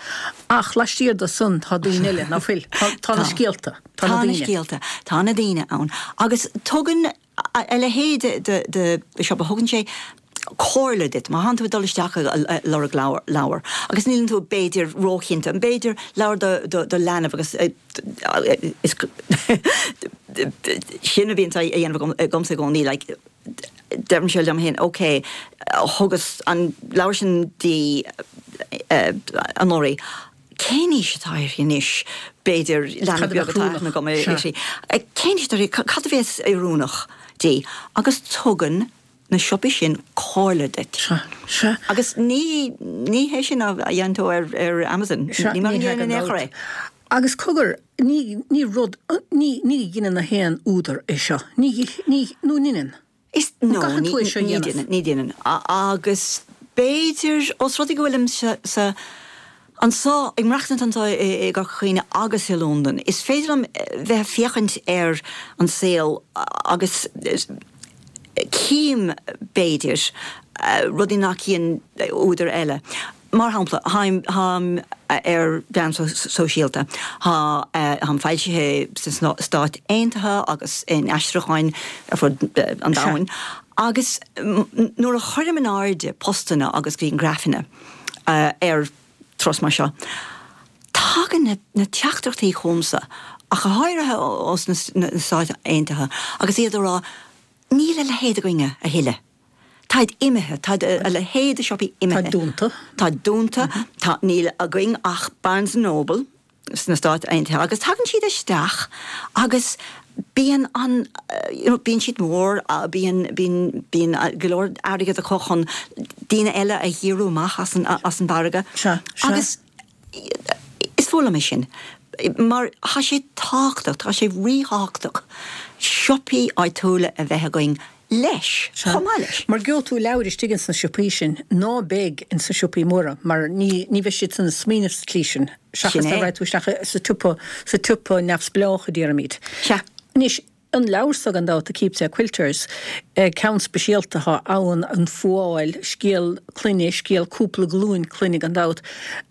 Ach laistiar de san tá daoine eile, ná fuil? Tá tá na Tá. scéalta, tá na Tá na daoine. scéalta, tá na daoine ann. Agus tugann a leithéid de de siopa, thugann sé comhairle duit má thánn tú ag dul isteach ag lorg leabhar agus níleann tú b'fhéidir róchinnte, b'fhéidir leabhar do do leanbh agus is sin a bhíonn á dhéanamh agamsa i gcónaí like deirimse liom féin ok thugas an leabhar sin di anuraidh cén aois atá uirthi anois b'fhéidir leanbh beag atá aithne agam uirthi cén aois atá uirthi cad a bheas oiriúnach di agus tugann na siopaí sin comhairle duit. Sea, sea. Agus ní, ní hé sin a dhéanann tú ar, ar Amazon. Sea, Ní mar ní a hea dhéanann gan aon chor dabht. é. Agus cogar, ní, ní rud, ní, ní dheineann na haon údar é seo. Ní, ní, nó an ndeineann? Is, An no, gcaitheann ní, tú é seo a ní dhéanamh? dhéanann, ní dhéanann. Agus b'fhéidir, os rud é go bhfuilim sa, sa, Anseo, ag maireachtaint anseo i gCorca Dhuibhne agus i Londain, is féidir liom bheith ag féachaint ar an saol agus cím, b'fhéidir, rudaí nach gcíonn údair eile. Mar shampla, táim ar mheáin sóisialta, táim foilsithe sna Stáit Aontaithe agus in aistriúcháin ar fud an domhain, agus nuair a chuirim in airde postanna agus grianghrafanna ar turas mar seo. Tagann na teachtaireachtaí chugamsa, ach go háirithe ós na Stáit Aontaithe, agus iad ag rá, Níl a leithéid againne a thuilleadh. Táid imithe, tá a leithéid de siopaí imithe. Táid dúnta. Táid dúnta, tá, níl againn ach Barnes and Noble sna Stáit Aontaithe agus tagann siad isteach agus bíonn an, you know, bíonn siad mór, bíonn, bíonn, bíonn go leor airgead acu chun daoine eile a dhíriú amach as an, as an mhargadh. Sea, sea. Agus is fuath liom é sin mar tá sé tábhachtach, tá sé ríthábhachtach siopaí áitiúla a bheith againn leis, Sea. chomh maith leis. Mar gheobhaidh tú leabhair istigh ins na siopaí sin ná beidh ins na siopaí móra mar ní, ní bheidh siad san ag smaoineamh sa tslí sin seachas Sin dá é. raghadh tú isteach sa tsiopa, sa tsiopa neamhspleách a déarfaimid. Sea. Anois, an leabhar so gan dabht, The Keepsake Quilters, ceann speisialta atá ann, an fuáil, scéal clainne, scéal cúpla glúin clainne gan dabht.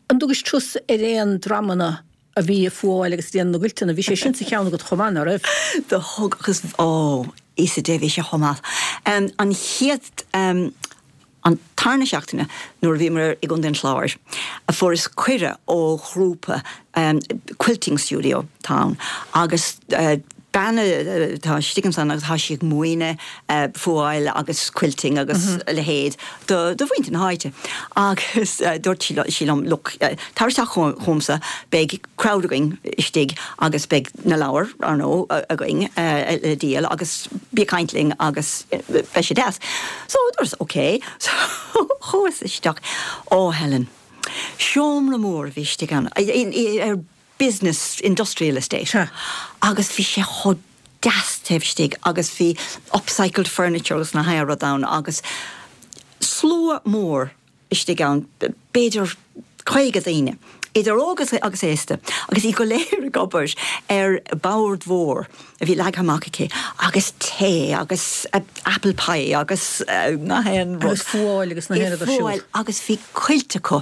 An dtugais tusa ar aon dreamanna a bhí ag fuáil agus ag déanamh na gcuilteanna, bhí sé sin sa cheann agat chomh maith, ná raibh? Do thug agus, ó, Íosa Dé, bhí sé chomh maith. An chéad, an tarna seachtaine nuair a bhíomar i gContae an Chláir, fuaireas cuireadh ó ghrúpa quilting studio atá ann agus bean atá istigh ansan agus tá sí ag múineadh fuáil agus quilting agus a leithéid do do mhuintir na háite agus dúirt sí liom look tar isteach chugamsa beidh crowd againn istigh agus beidh na leabhair ar ndóigh againn le díol agus bí ag caint linn agus beidh sé deas. So dúras ok so chuas isteach oh Helen seomra mór a bhí istigh ann ar business industrial estate Sea. agus bhí sé chomh deas taobh istigh agus bhí upcycled furniture agus na haon rud ann agus slua mór istigh ann, b'fhéidir caoga daoine Idir óg agus aosta, agus iad go léir ag obair ar bord mhór a bhí leagtha amach aici, agus tae agus apple pie agus na haon rud. Agus fuáil agus na haon rud ar siúl. Agus bhí cuilt acu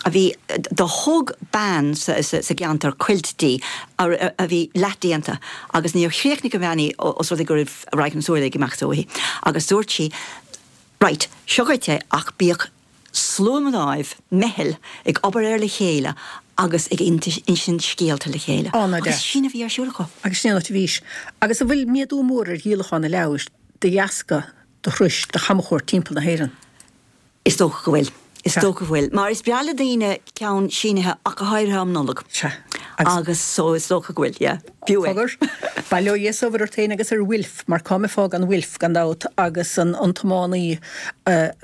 a bhí do thug bean sa gceantar cuilt di a bhí leathdhéanta agus níor chríochnaigh an bhean í os rud é go raibh radharc na súile ag imeacht uaithi agus dúirt sí Right, seo dhuit é ach bíodh slua mnáibh, meitheal, ag obair air le chéile agus ag insint scéalta le chéile. Á, ná Agus sin a bhí ar siúl acu. Agus sin an áit a bhís. Agus an bhfuil méadú mór ar dhíolachán na leabhar de dheasca do thurais, do chamchuairt timpeall na hÉireann? Is dócha go bhfuil. Is dócha go bhfuil. Mar is breá le daoine ceann sínithe ach go háirithe um Nollaig. Sea. Agus so is dócha go bhfuil, yeah. Fiú é. Cogar, bail ó Dhia is ort féin agus ar Wilf, mar cá mbeifeá gan Wilf, gan dabht, agus an an tiománaí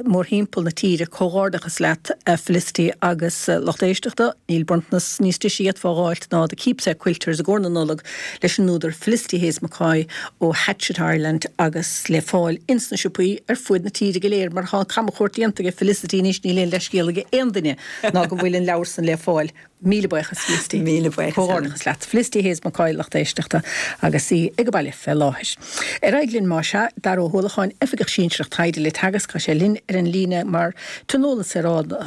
mórthimpeall na tíre, comhghairdeachas leat Felicity agus lucht éisteachta, níl bronntanas níos deise a d'fhéadfá a dh'fháilt ná The Keepsake Quilters i gcomhair na Nollag leis an údar Felicity Hayes McCoy ó Hatchet Ireland agus le fáil ins na siopaí ar fuaid na tíre go léir mar tá an camchuairt déanta ag Felicity anois níl aon leithscéal ag aon duine ná go bhfuil an leabhar san le fáil. Míle buíochas, Felicity. Míle buíochas. Comhghairdeachas leat. Felicity Hayes McCoy, lucht éisteachta, agus í ag baile fé láthair. Ar aghaidh linn más ea, Dara Ó hUallacháin, Oifigeach Sinsearach Taighde le Teagasc, tá sé linn ar an líne mar tionólann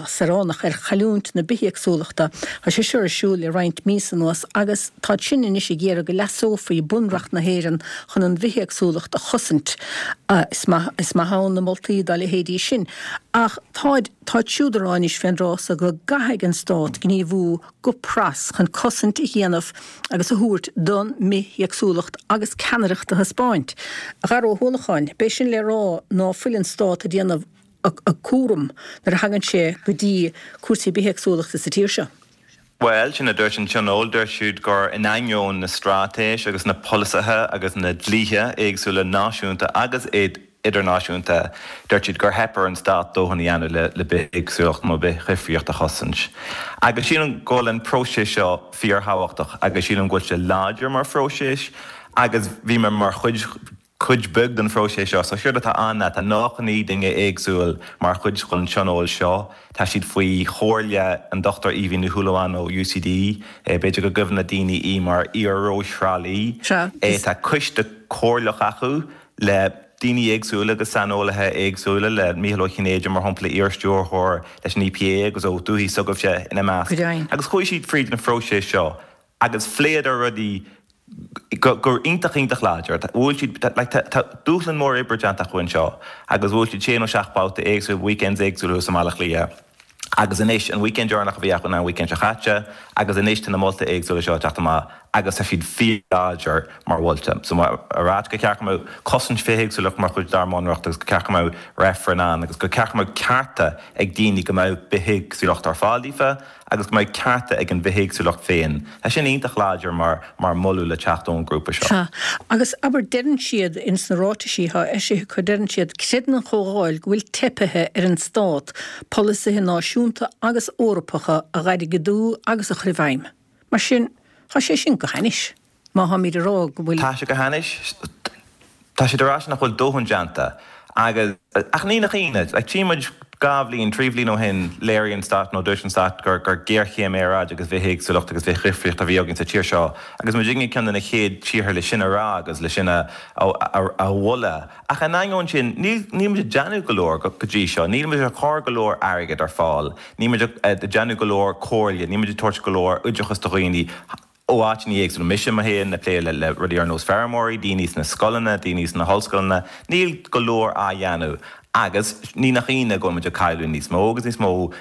saoránach ar chailliúint na bithéagsúlachta. Tá sé seo ar siúl le roinnt míosa anuas agus táid sin anois ag iarraidh go leasófaí Bunreacht na hÉireann chun an bhithéagsúlacht a chosaint. Is maith, is maith ann na moltaí dá leithéidí sin ach táid, táid siúd ag rá anois fén dtráth so go gcaithfidh an Stát gníomhú go pras chun cosaint a dhéanamh agus a thabhairt don mbithéagsúlacht agus ceannaireacht a thaispeáint. A Dhara Ó hUallacháin, b'é sin le rá ná fuil an Stát ag déanamh a chúram nuair a thagann sé go dtí cúrsaí bithéagsúlachta sa tír seo. Bhuel, sin a dúirt an Tionól, dúirt siad gur in ainneoin na straitéis agus na polasaithe agus na dlíthe éagsúla náisiúnta agus idirnáisiúnta, dúirt siad gur theip ar an stát dóthain a dhéanamh le bithéagsúlacht nó bithdhifríocht a chosaint. Agus sílim go bhfuil an próiseas seo fíorthábhachtach agus sílim go bhfuil sé láidir mar phróiseas agus bhí mé mar chuid cuid beag den phróiseas seo. So séard atá ann ná tá nócha naoi duine éagsúil mar chuid den tionól seo. Tá siad faoi chomhairle an Dochtúir Aoibhinn Ní Shúilleabháin ó U C D, b'fhéidir go gcuimhin le daoine í mar iar-Rós Thrá Lí. Tá coiste comhairleach acu le daoine éagsúla agus saineolaithe éagsúla, le Mícheál Ó Cinnéide mar shampla, iar-stiúrthóir leis an E P A agus ó dúthaigh s'agaibhse ina measc. Agus chuaigh siad fríd an phróiseas seo agus phléadar rudaí go go iontach iontach láidir. Bhuail siad like tá dúshlán mór oibre déanta acu anseo agus bhuail siad sé nó seacht babhta éagsúil, weekends éagsúla sa mBaile Átha Cliath. Agus anois an weekend deireanach a bhí acu ná an weekend seo caite agus anois tá na moltaí éagsúla seo ag teacht amach agus tá siad fíorláidir mar mholtaí. So a rá gur cheart go mbeadh cosaint bithéagsúlacht mar chuid dár mbunreacht agus gur cheart go mbeadh reifreann ann agus gur cheart go mbeadh cearta ag daoine go mbeadh bithéagsúlacht ar fáil daofa agus go mbeadh cearta ag an bhithéagsúlacht féin. Tá sin iontach láidir mar mar moladh le teacht ón ngrúpa seo. Sea. Agus abair, deireann siad ins na ráitisí atá eisithe acu, deireann siad, creideann an Chomhdháil go bhfuil teipithe ar an Stát polasaithe náisiúnta agus Eorpacha a dh'airgeadú agus a chur i bhfeidhm. Mar sin, tá sé sin go hainnis, má tháimid ag rá go bhfuil. Tá sé go hainnis. Tá siad ag rá nach bhfuil dóthain déanta agus, ach ní nach ionadh, like tchí muid dhá bhliain, trí bhliain ó shin léirigh an stát nó dúirt an stát gur gur géarchéim aeráide agus bithéagsúlacht agus bithdhifríocht a bhí againn sa tír seo agus muid ag ceann de na chéad tíortha le sin a rá agus le sin a a a mholadh. Ach in ainneoin sin níl níl muid ag déanamh go leor go dtí seo, níl muid ag cur go leor airgead ar fáil, níl muid ag déanamh go leor comhairle, níl muid ag tabhairt go leor oideachas do dhaoine ó áiteanna éagsúla. Mise mo fhéin ag plé le le rudaí ar nós feirmeoirí, daoine sna scoileanna, daoine sna hollscoileanna, níl go leor á dhéanamh agus ní nach ionadh go bhfuil muid ag cailleadh níos mó agus níos mó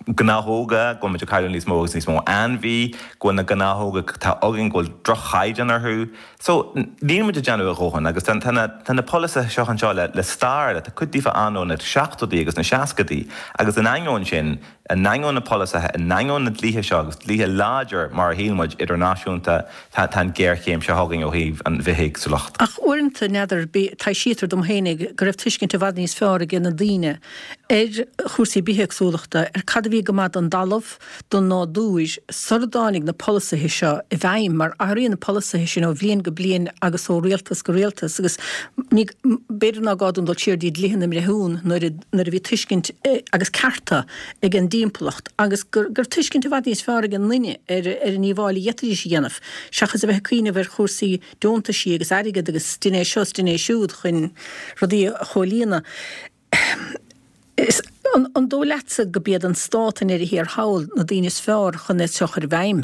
gnáthóga, go bhfuil muid ag cailleadh níos mó agus níos mó ainmhí, go bhfuil na gnáthóga atá againn go bhfuil droch-chaighdeán orthu. So níl muid ag déanamh a dhóthain agus tá na tá na polasaithe seo anseo le le stair, tá cuid díobh ann ó na seachtóidí agus na seascadaí agus in ainneoin sin, in ainneoin na polasaithe, in ainneoin na dlíthe seo agus dlíthe láidir mar a shíl muid idirnáisiúnta, tá tá an géarchéim seo chugainn ó thaobh an bhithéagsúlacht. Ach uaireanta, n'fheadar, taibhsítear dom fhéinig go raibh tuiscint i bhfad níos fearr ag na daoine ar chúrsaí bithéagsúlachta, ar cad a bhí go maith don dtalamh, don nádúr, sara dtáinig na polasaithe seo i bhfeidhm, mar athraíonn na polasaithe sin ó bhliain go bliain agus ó rialtas go rialtas agus ní, b'fhéidir ná gá dúinn dul siar dtí dlíthe na mbreithiún nuair a, nuair a bhí tuiscint agus cearta ag an dtimpeallacht agus gur, gur tuiscint i bhfad níos fearr ag an nduine ar, ar an ndíobháil a d'fhéadfaidís a dhéanamh seachas a bheith ag cuimhneamh ar chúrsaí deontaisí agus airgead agus dein é seo is dein é siúd chun rudaí a chomhlíonadh. Is, an, an dóigh leatsa go b'iad an stát i ndeireadh thiar thall na daoine is fearr chun é seo a chur i bhfeidhm?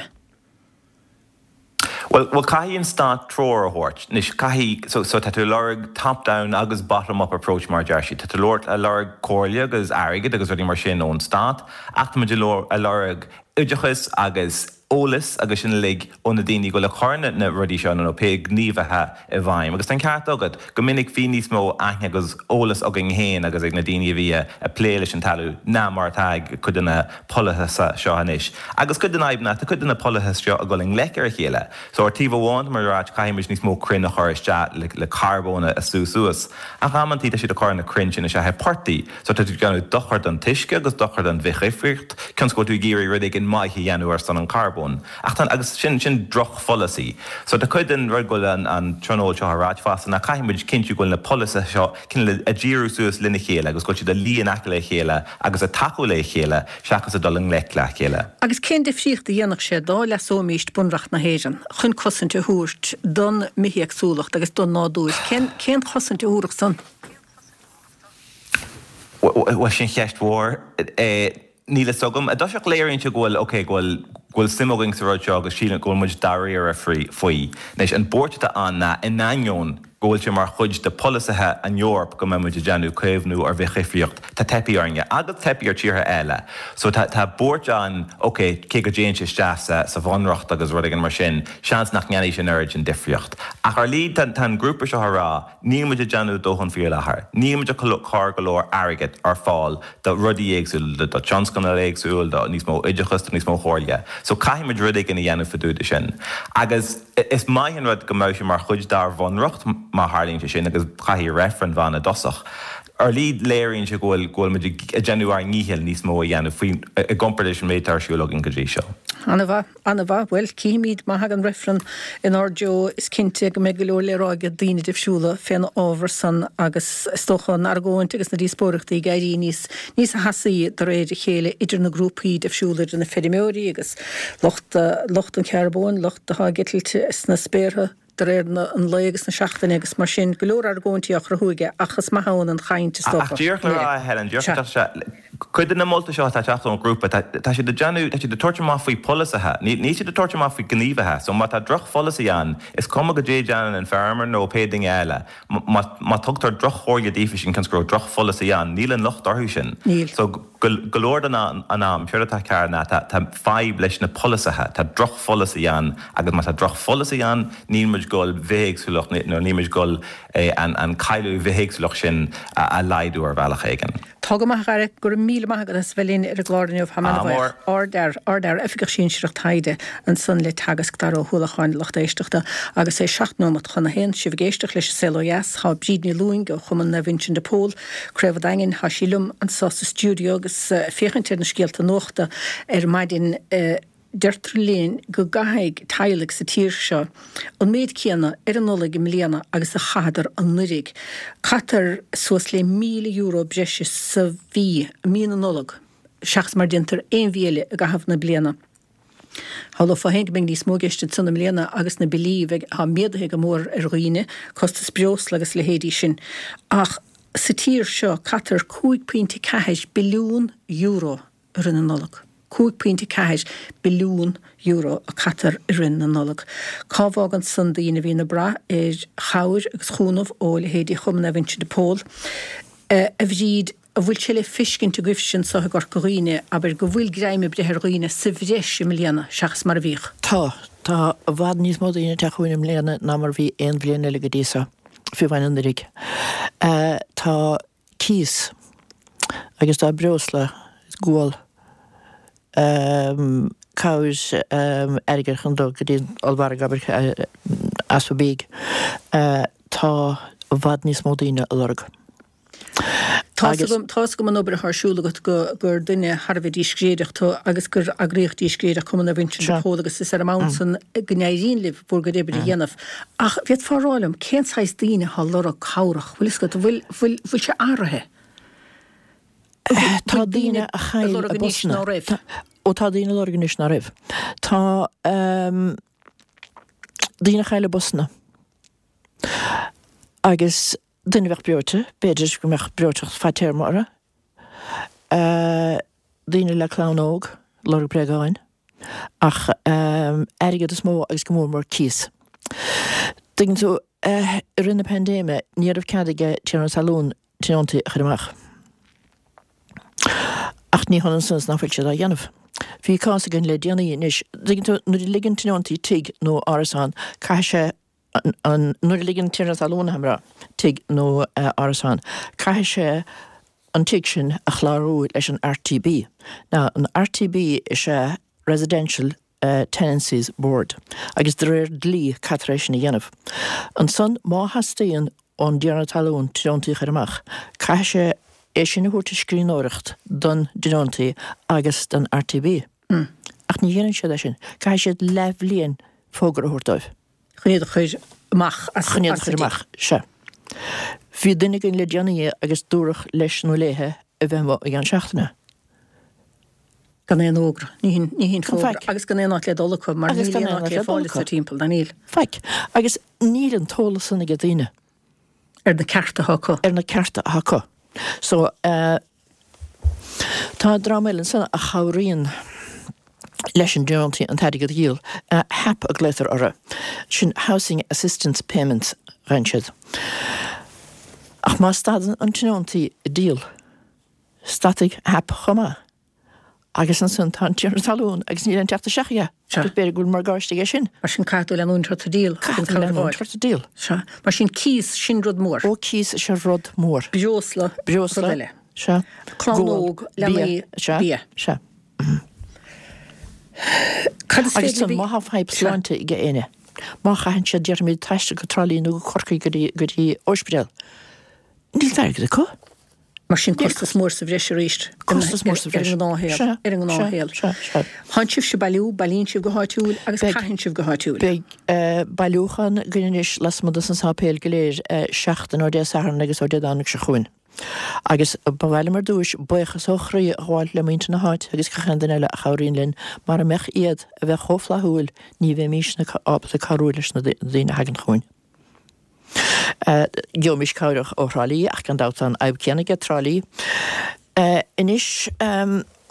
Bhuel, bhuel caithfidh an stát treoir a thabhairt. Anois caithfidh, so, so tá tú ag lorg top down agus bottom up approach mar a deir siad. Tá tú ag lorg comhairle agus airgead agus rudaí mar sin ón stát ach tá muid ag lorg oideachas agus eolas agus sin uilig ó na daoine go bhfuil ag cur na rudaí seo nó pé gníomhaithe i bhfeidhm. Agus tá an ceart agat, go minic bhí níos mó aithne agus eolas againn féin agus ag na daoine a bhí ag plé leis an talamh ná mar atá ag cuid de na polasaithe seo anois. Agus cuid den fhadhb ná tá cuid de na polasaithe seo ag dul i ngleic ar a chéile. So ar taobh amháin tá muid ag ráit caithfidh muid níos mó crainn a chur isteach le le carbón a sú suas. Ach amantaí tá siad ag cur na crainn sin isteach i portaigh. So tá tú ag déanamh dochar don t-uisce agus dochar don bhithdhifríocht cionn is go bhfuil tú ag iarraidh rud éigin maith a dhéanamh ar son an charbóin. Ach tá agus sin sin drochpholasaí. So tá cuid den rud go bhfuil an an tionól seo ag ráit fosta ná caithfidh muid cinntiú go bhfuil na polasaithe seo cineál ag díriú suas lena chéile agus go bhfuil siad ag luí in aice le chéile agus ag tacú le chéile seachas ag dul i ngleic le chéile. Agus cén difríocht a dhéanfadh sé dá leasóimíst Bunreacht na hÉireann chun cosaint a thabhairt don mbithéagsúlacht agus don nádúr? Cén cén chosaint a thabharfadh san? Bhuel, sin ceist mhór. Níl a fhios agam. I dtosach léiríonn sé go bhfuil, ok, go bhfuil, go bhfuil suim againn sa rud seo agus sílim go bhfuil muid dáiríre faoi. Anois, an buairt atá ann ná, in ainneoin go bhfuil sé mar chuid de pholasaithe an Eoraip go mbeidh muid ag déanamh caomhnú ar bhithdhifríocht, tá teipthe orainne, agus teipthe ar tíortha eile. So tá, tá buairt ann, ok, cé go dtéann sé isteach sa, sa bhunreacht agus rud éigin mar sin, seans nach ndéanfaidh sé an oiread sin difríocht. Ach ar a laghad tá, tá an grúpa seo ag rá, níl muid ag déanamh dóthain faoi láthair, níl muid ag cur go leor airgead ar fáil do rudaí éagsúla, do tionscnaimh éagsúil, do níos mó oideachas, do níos mó comhairle. So caithfidh muid rud éigin a dhéanamh fá dtaobh de sin. Agus is maith an rud go mbeadh sé mar chuid dár bhunreacht má tharlaíonn sé sin agus caithfidh reifreann bheith ann i dtosach. Ar a laghad léiríonn sé go bhfuil go bhfuil muid ag déanamh ár ndícheall níos mó a dhéanamh faoi i gcomparáid leis an méid atá ar siúl againn go dtí seo. An-mhaith, an-mhaith. Bhuel, cífimid má thagann reifreann inár dtreo, is cinnte go mbeidh go leor le rá ag daoine difriúla fén ábhar san agus is dócha an argóint agus na díospóireachtaí ag éirí níos níos teasaí de réir a chéile idir na grúpaí difriúla, idir na feirmeoirí agus lucht lucht an charbóin, lucht atá ag eitilt sna spéartha de réir an lae agus na seachtaine agus mar sin, go leor argóintí á chruthú aige ach is maith ann an chaint is dócha. Ach díreach le rá, a Helen, díreach le teacht cuid de na moltaí seo atá ag teacht ón ghrúpa, tá siad ag déanamh, tá siad ag tabhairt amach faoi pholasaithe, níl siad ag tabhairt amach faoi ghníomhaithe. So má tá drochpholasaí ann, is cuma goidé a déanann an feirmeoir nó pé duine eile, má má tugtar droch-chomhairle daofa sin cionn is go raibh drochpholasaí ann, níl an locht orthu sin. Níl. So go go leor den an am, séard atá cearr ná tá tá fadhb leis na polasaithe, tá drochpholasaí ann agus má tá drochpholasaí ann, níl muid ag goil bithéagsúlacht nó níl muid ag goil an an cailleadh bithéagsúlacht sin a a laghdú ar bhealach éigin. Tá go maith, a Dhara. Go raibh míle maith agat as a bheith linn ar an gclár inniu. Táim an-bhuíoch. Ardfhear, ardfhear, Oifigeach Sinsearach Taighde ansan le Teagasc, Dara Ó hUallacháin, lucht éisteachta, agus é seacht nóimeat chun a haon. Sibh ag éisteacht leis an Saol Ó Dheas. Tá Bríd Ní Lúing ó Chumann Naomh Uinseann de Pól, Craobh an Daingin, tá sí liom anso sa stiúideo agus féachaint ar na scéalta nuachta ar maidin. Deirtear linn go gcaithfidh teaghlaigh sa tír seo an méid céanna ar an Nollaig i mbliana agus a chaitheadar anuiridh. Caitear suas le míle euro breise sa mhí, mí na Nollag, seachas mar déantar aon mhí eile i gcaitheamh na bliana. Shamhlófá féin go mbeidh níos mó i gceist ansan i mbliana agus na billí a bheidh, atá méadaithe go mór ar dhaoine, costas breosla agus a leithéidí sin. Ach sa tír seo caitear cúig pointe ceathair billiún euro i rith na Nollag. cúig pointe ceathair billiún euro a caitear i rith na Nollag. Cá bhfágann san daoine a bhíonn ag brath ar chabhair agus chúnamh ó leithéidí Chumann Naomh Uinseann de Pól? A Bhríd, an bhfuil sé le feiscint agaibhse anso i gCorca Dhuibhne, abair, go bhfuil greim ag breith ar dhaoine sa bhreis i mbliana seachas mar a bhíodh? Tá. Tá i bhfad níos mó daoine ag teacht chugainn i mbliana ná mar a bhí aon bhliain eile go dtí seo, fiú amháin anuiridh. Tá cíos agus tá breosla, gual, cabhair airgid chun dul go dtí an ollmhargadh, abair, easpa bídh. Tá i bhfad níos mó daoine á lorg. Tá tá's agam an obair atá ar siúl agat go gur duine thar a bheith díscréideach tú agus gur eagraíocht díscréideach Cumann Naomh Uinseann de Pól agus is ar an mbonn san go n-éiríonn libh bhur gcuid oibre a dhéanamh. Ach bhféadfá a rá liom cén saghas daoine atá ag lorg cabhrach, bhfuil fhios agat, bhfuil bhfuil bhfuil sé athraithe? Tá daoine a chaill a bpostanna. Ó tá daoine ag lorg anois ná raibh. Tá daoine a chaill a bpostanna agus duine a bheadh breoite, b'fhéidir go mbeadh breoiteacht fadtéarma orthu, daoine le clann óg, lorg bréagáin, ach airgead is mó agus go mór mór cíos. Tuigeann tú, i rith na paindéime ní raibh cead ag tiarna talún tionóntaí a chur amach. Ach ní hionann san is nach bhfuil siad á dhéanamh. Bhí cás againn le déanaí anois, tuigeann tú, nuair a ligeann tionóntaí tigh nó árasán, caithfidh sé an, nuair a ligeann tiarna talún, abair, tigh nó árasán, caithfidh sé an tigh sin a chlárú leis an RTB. Now, an RTB is ea Residential Tenancies Board agus de réir dlí caithfear é sin a dhéanamh. Ansan má theastaíonn ón dtiarna talún tionóntaí a chur amach, caithfidh sé é sin a thabhairt i scríbhneoireacht don dtionóntaí agus don RTB. Ach ní dhéanann siad é sin. Caithfidh siad leathbhliain fógra a thabhairt dóibh. Chun iad a chur amach as Chun iad a chur amach, sea. Bhí duine againn le déanaí agus dúradh leis nó léithe a bheith amuigh i gceann seachtaine. Gan aon fhógra. Ní hin, ní hin fógra. Agus gan aon áit le dul acu, mar níl aon áit le fáil sa timpeall, ná níl. Faic. Agus níl an t-eolas san ag daoine. Ar na cearta atá acu. Ar na cearta atá acu. So, eh, tá dream eile ansan a chabhraíonn leis an dtionóntaí an t-airgead a dhíol. HAP a glaotar orthu. Sin Housing Assistance Payments, a gheibheann siad. Ach má stadann an tionóntaí ag díol, stadfaidh HAP chomh maith. Agus ansan tá an tiarna talún agus níl aon teacht isteach aige. Agus b'fhéidir go bhfuil morgáiste aige sin. Mar sin caithfidh tú leanúint ort ag díol. Caithfidh tú leanúint ort ag díol. Sea. Mar sin cíos, sin rud mór. Ó cíos is ea rud mór. Breosla, Breosla. Rud eile. Sea. Clann óg, leanaí, bia. Sea. Cad is Agus féidir má tá fadhb sláinte ag éinne, má chaitheann siad déarfaimid taisteal go Trá Lí nó go Corcaigh go dtí go dtí ospidéal, níl airgead acu. Mar sin costas mór sa bhreis arís. Costas mór sa bhreis. Ar an ngnáthshaol. Ar an ngnáthshaol. Sea, sea. Tánn sibhse ag bailiú, bailíonn sibh go háitiúil agus caitheann sibh go háitiúil. Beidh bailiúchán againn anois lasmuigh dos na sáipéil go léir seachtain ó Dé Sathairn agus ó Dé Domhnaigh seo chugainn. Agus ba mhaith liom ar dtúis buíochas ó chroí a ghabháil le muintir na háite agus gach aon duine eile a chabhraíonn linn. Mara mbeadh iad a bheith chomh flaithiúil ní bheimísne ábalta cabhrú leis na daoine a thagann chugainn. Gheobhaimis cabhair ó Thrá Lí ach gan dabht tá an fhadhb céanna aige Trá Lí. Anois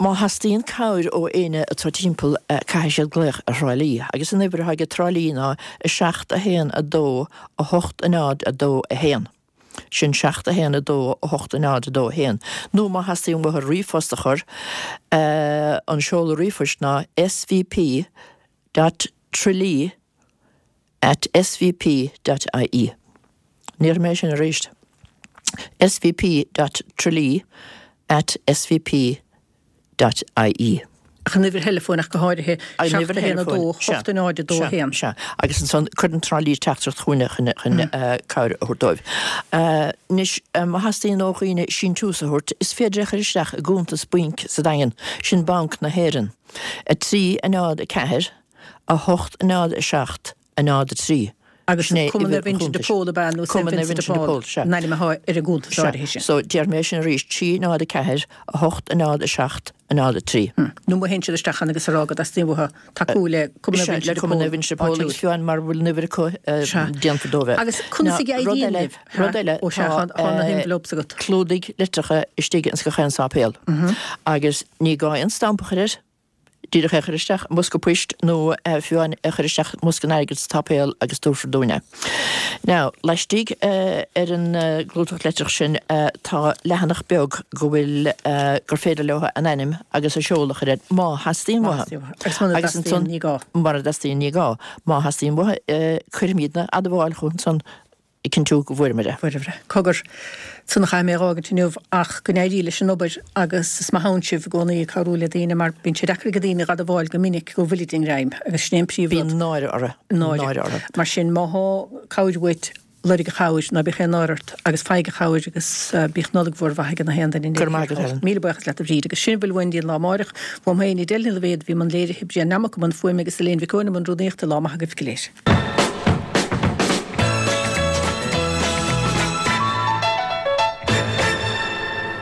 má theastaíonn cabhair ó éinne atá timpeall caithfidh siad glaoch ar Thrá Lí agus an uimhir atá ag Trá Lí ná a seacht a haon a dó a hocht a náid a dó a haon. Sin seacht a haon a dó a hocht a náid a dó a haon. Nó má theastaíonn uathu ríomhphost a chur, an seoladh ríomhphoist ná svp dot tralee at svp dot ie. Ní déarfaidh mé sin arís. svp dot tralee at svp dot ie. Ach an uimhir theileafóin ach go háirithe, An seacht uimhir a haon a dó, theileafóin, sea, hocht a náid a dó a sea, haon. sea. Agus ansan cuireann Trá Lí teachtaireacht chugainne chun, chun cabhair a thabhairt dóibh. Anois, má theastaíonn ó dhaoine síntiús a thabhairt, is féidir é a chur isteach i gcuntas bainc sa Daingean, sin Banc na hÉireann, a trí, a náid, a ceathair, a hocht, a náid, a seacht, a náid, a trí. Agus Sin é Cumann uimhir Naomh Uinseann de chuntais. Pól ab ea nó Saint Cumann Naomh Vincent de Uinseann de Paul Pól, sea. an ainm atá ar an gcuntas Sea. áirithe sin. So, déarfaidh mé sin arís, trí, náid, a ceathair, a hocht, a náid, a seacht, a náid, a trí. Nó má théann siad isteach ann agus a rá go dteastaíonn uathu tacú le Cumann Sea, Naomh Uinseann le de Cumann Pól Naomh Uinseann de Pól áitiúil. agus fiú amháin mara bhfuil an uimhir acu, Sea. déanfar dóibh é. Agus conas Now, a rud éiríonn eile, libh? rud eile, Ó sea, tá, tá na eh, envelopes agat. clúdaigh litreacha istigh ins gach aon sáipéal. Agus ní gá aon stampa a chur air. Díreach é a chur isteach i mbosca poist nó fiú amháin é a chur isteach i mbosca an airgid sa tsáipéal agus tabharfar dúinn é. Now, laistigh ar an gclúdach litreach sin tá leathanach beag go bhfuil, gur féidir leo a n-ainm agus a seoladh a chur air má theastaíonn uathu. Agus muna Agus dteastaíonn ansan, ní gá. mura dteastaíonn ní gá. Má theastaíonn uathu, cuirfimidne admháil chucu ansan. ag cinntiú go bhfuaireamar é. Fuaireabhair é. Cogar, san a chaithfidh mé a dh'fhágaint inniu ach go n-éirí leis an obair agus is maith ann sibh i gcónaí ag cabhrú le daoine mar bíonn sé deacair ag daoine dh'admháil go minic go bhfuilid i ngreim agus sin é an príomhrud. Bíonn náire orthu. Náire. Náire orthu. Mar sin má thá cabhair uait Lorg a chabhair, ná bíodh aon náire ort, agus faigh a chabhair agus bíodh Nollaig mhór mhaith ag na haon duine. Go raibh maith agat, Helen. Míle buíochas leat, a Bhríd. Agus sin a bhfuil uainn go dtí an lá amáireach. Uaim féin, Edel Ní Loibhéad, a bhí i mbun léirithe, Brian Nammock i mbun fuaime agus Elaine Mhic Eoin i mbun rúnaíochta. Lá maith agaibh go léir.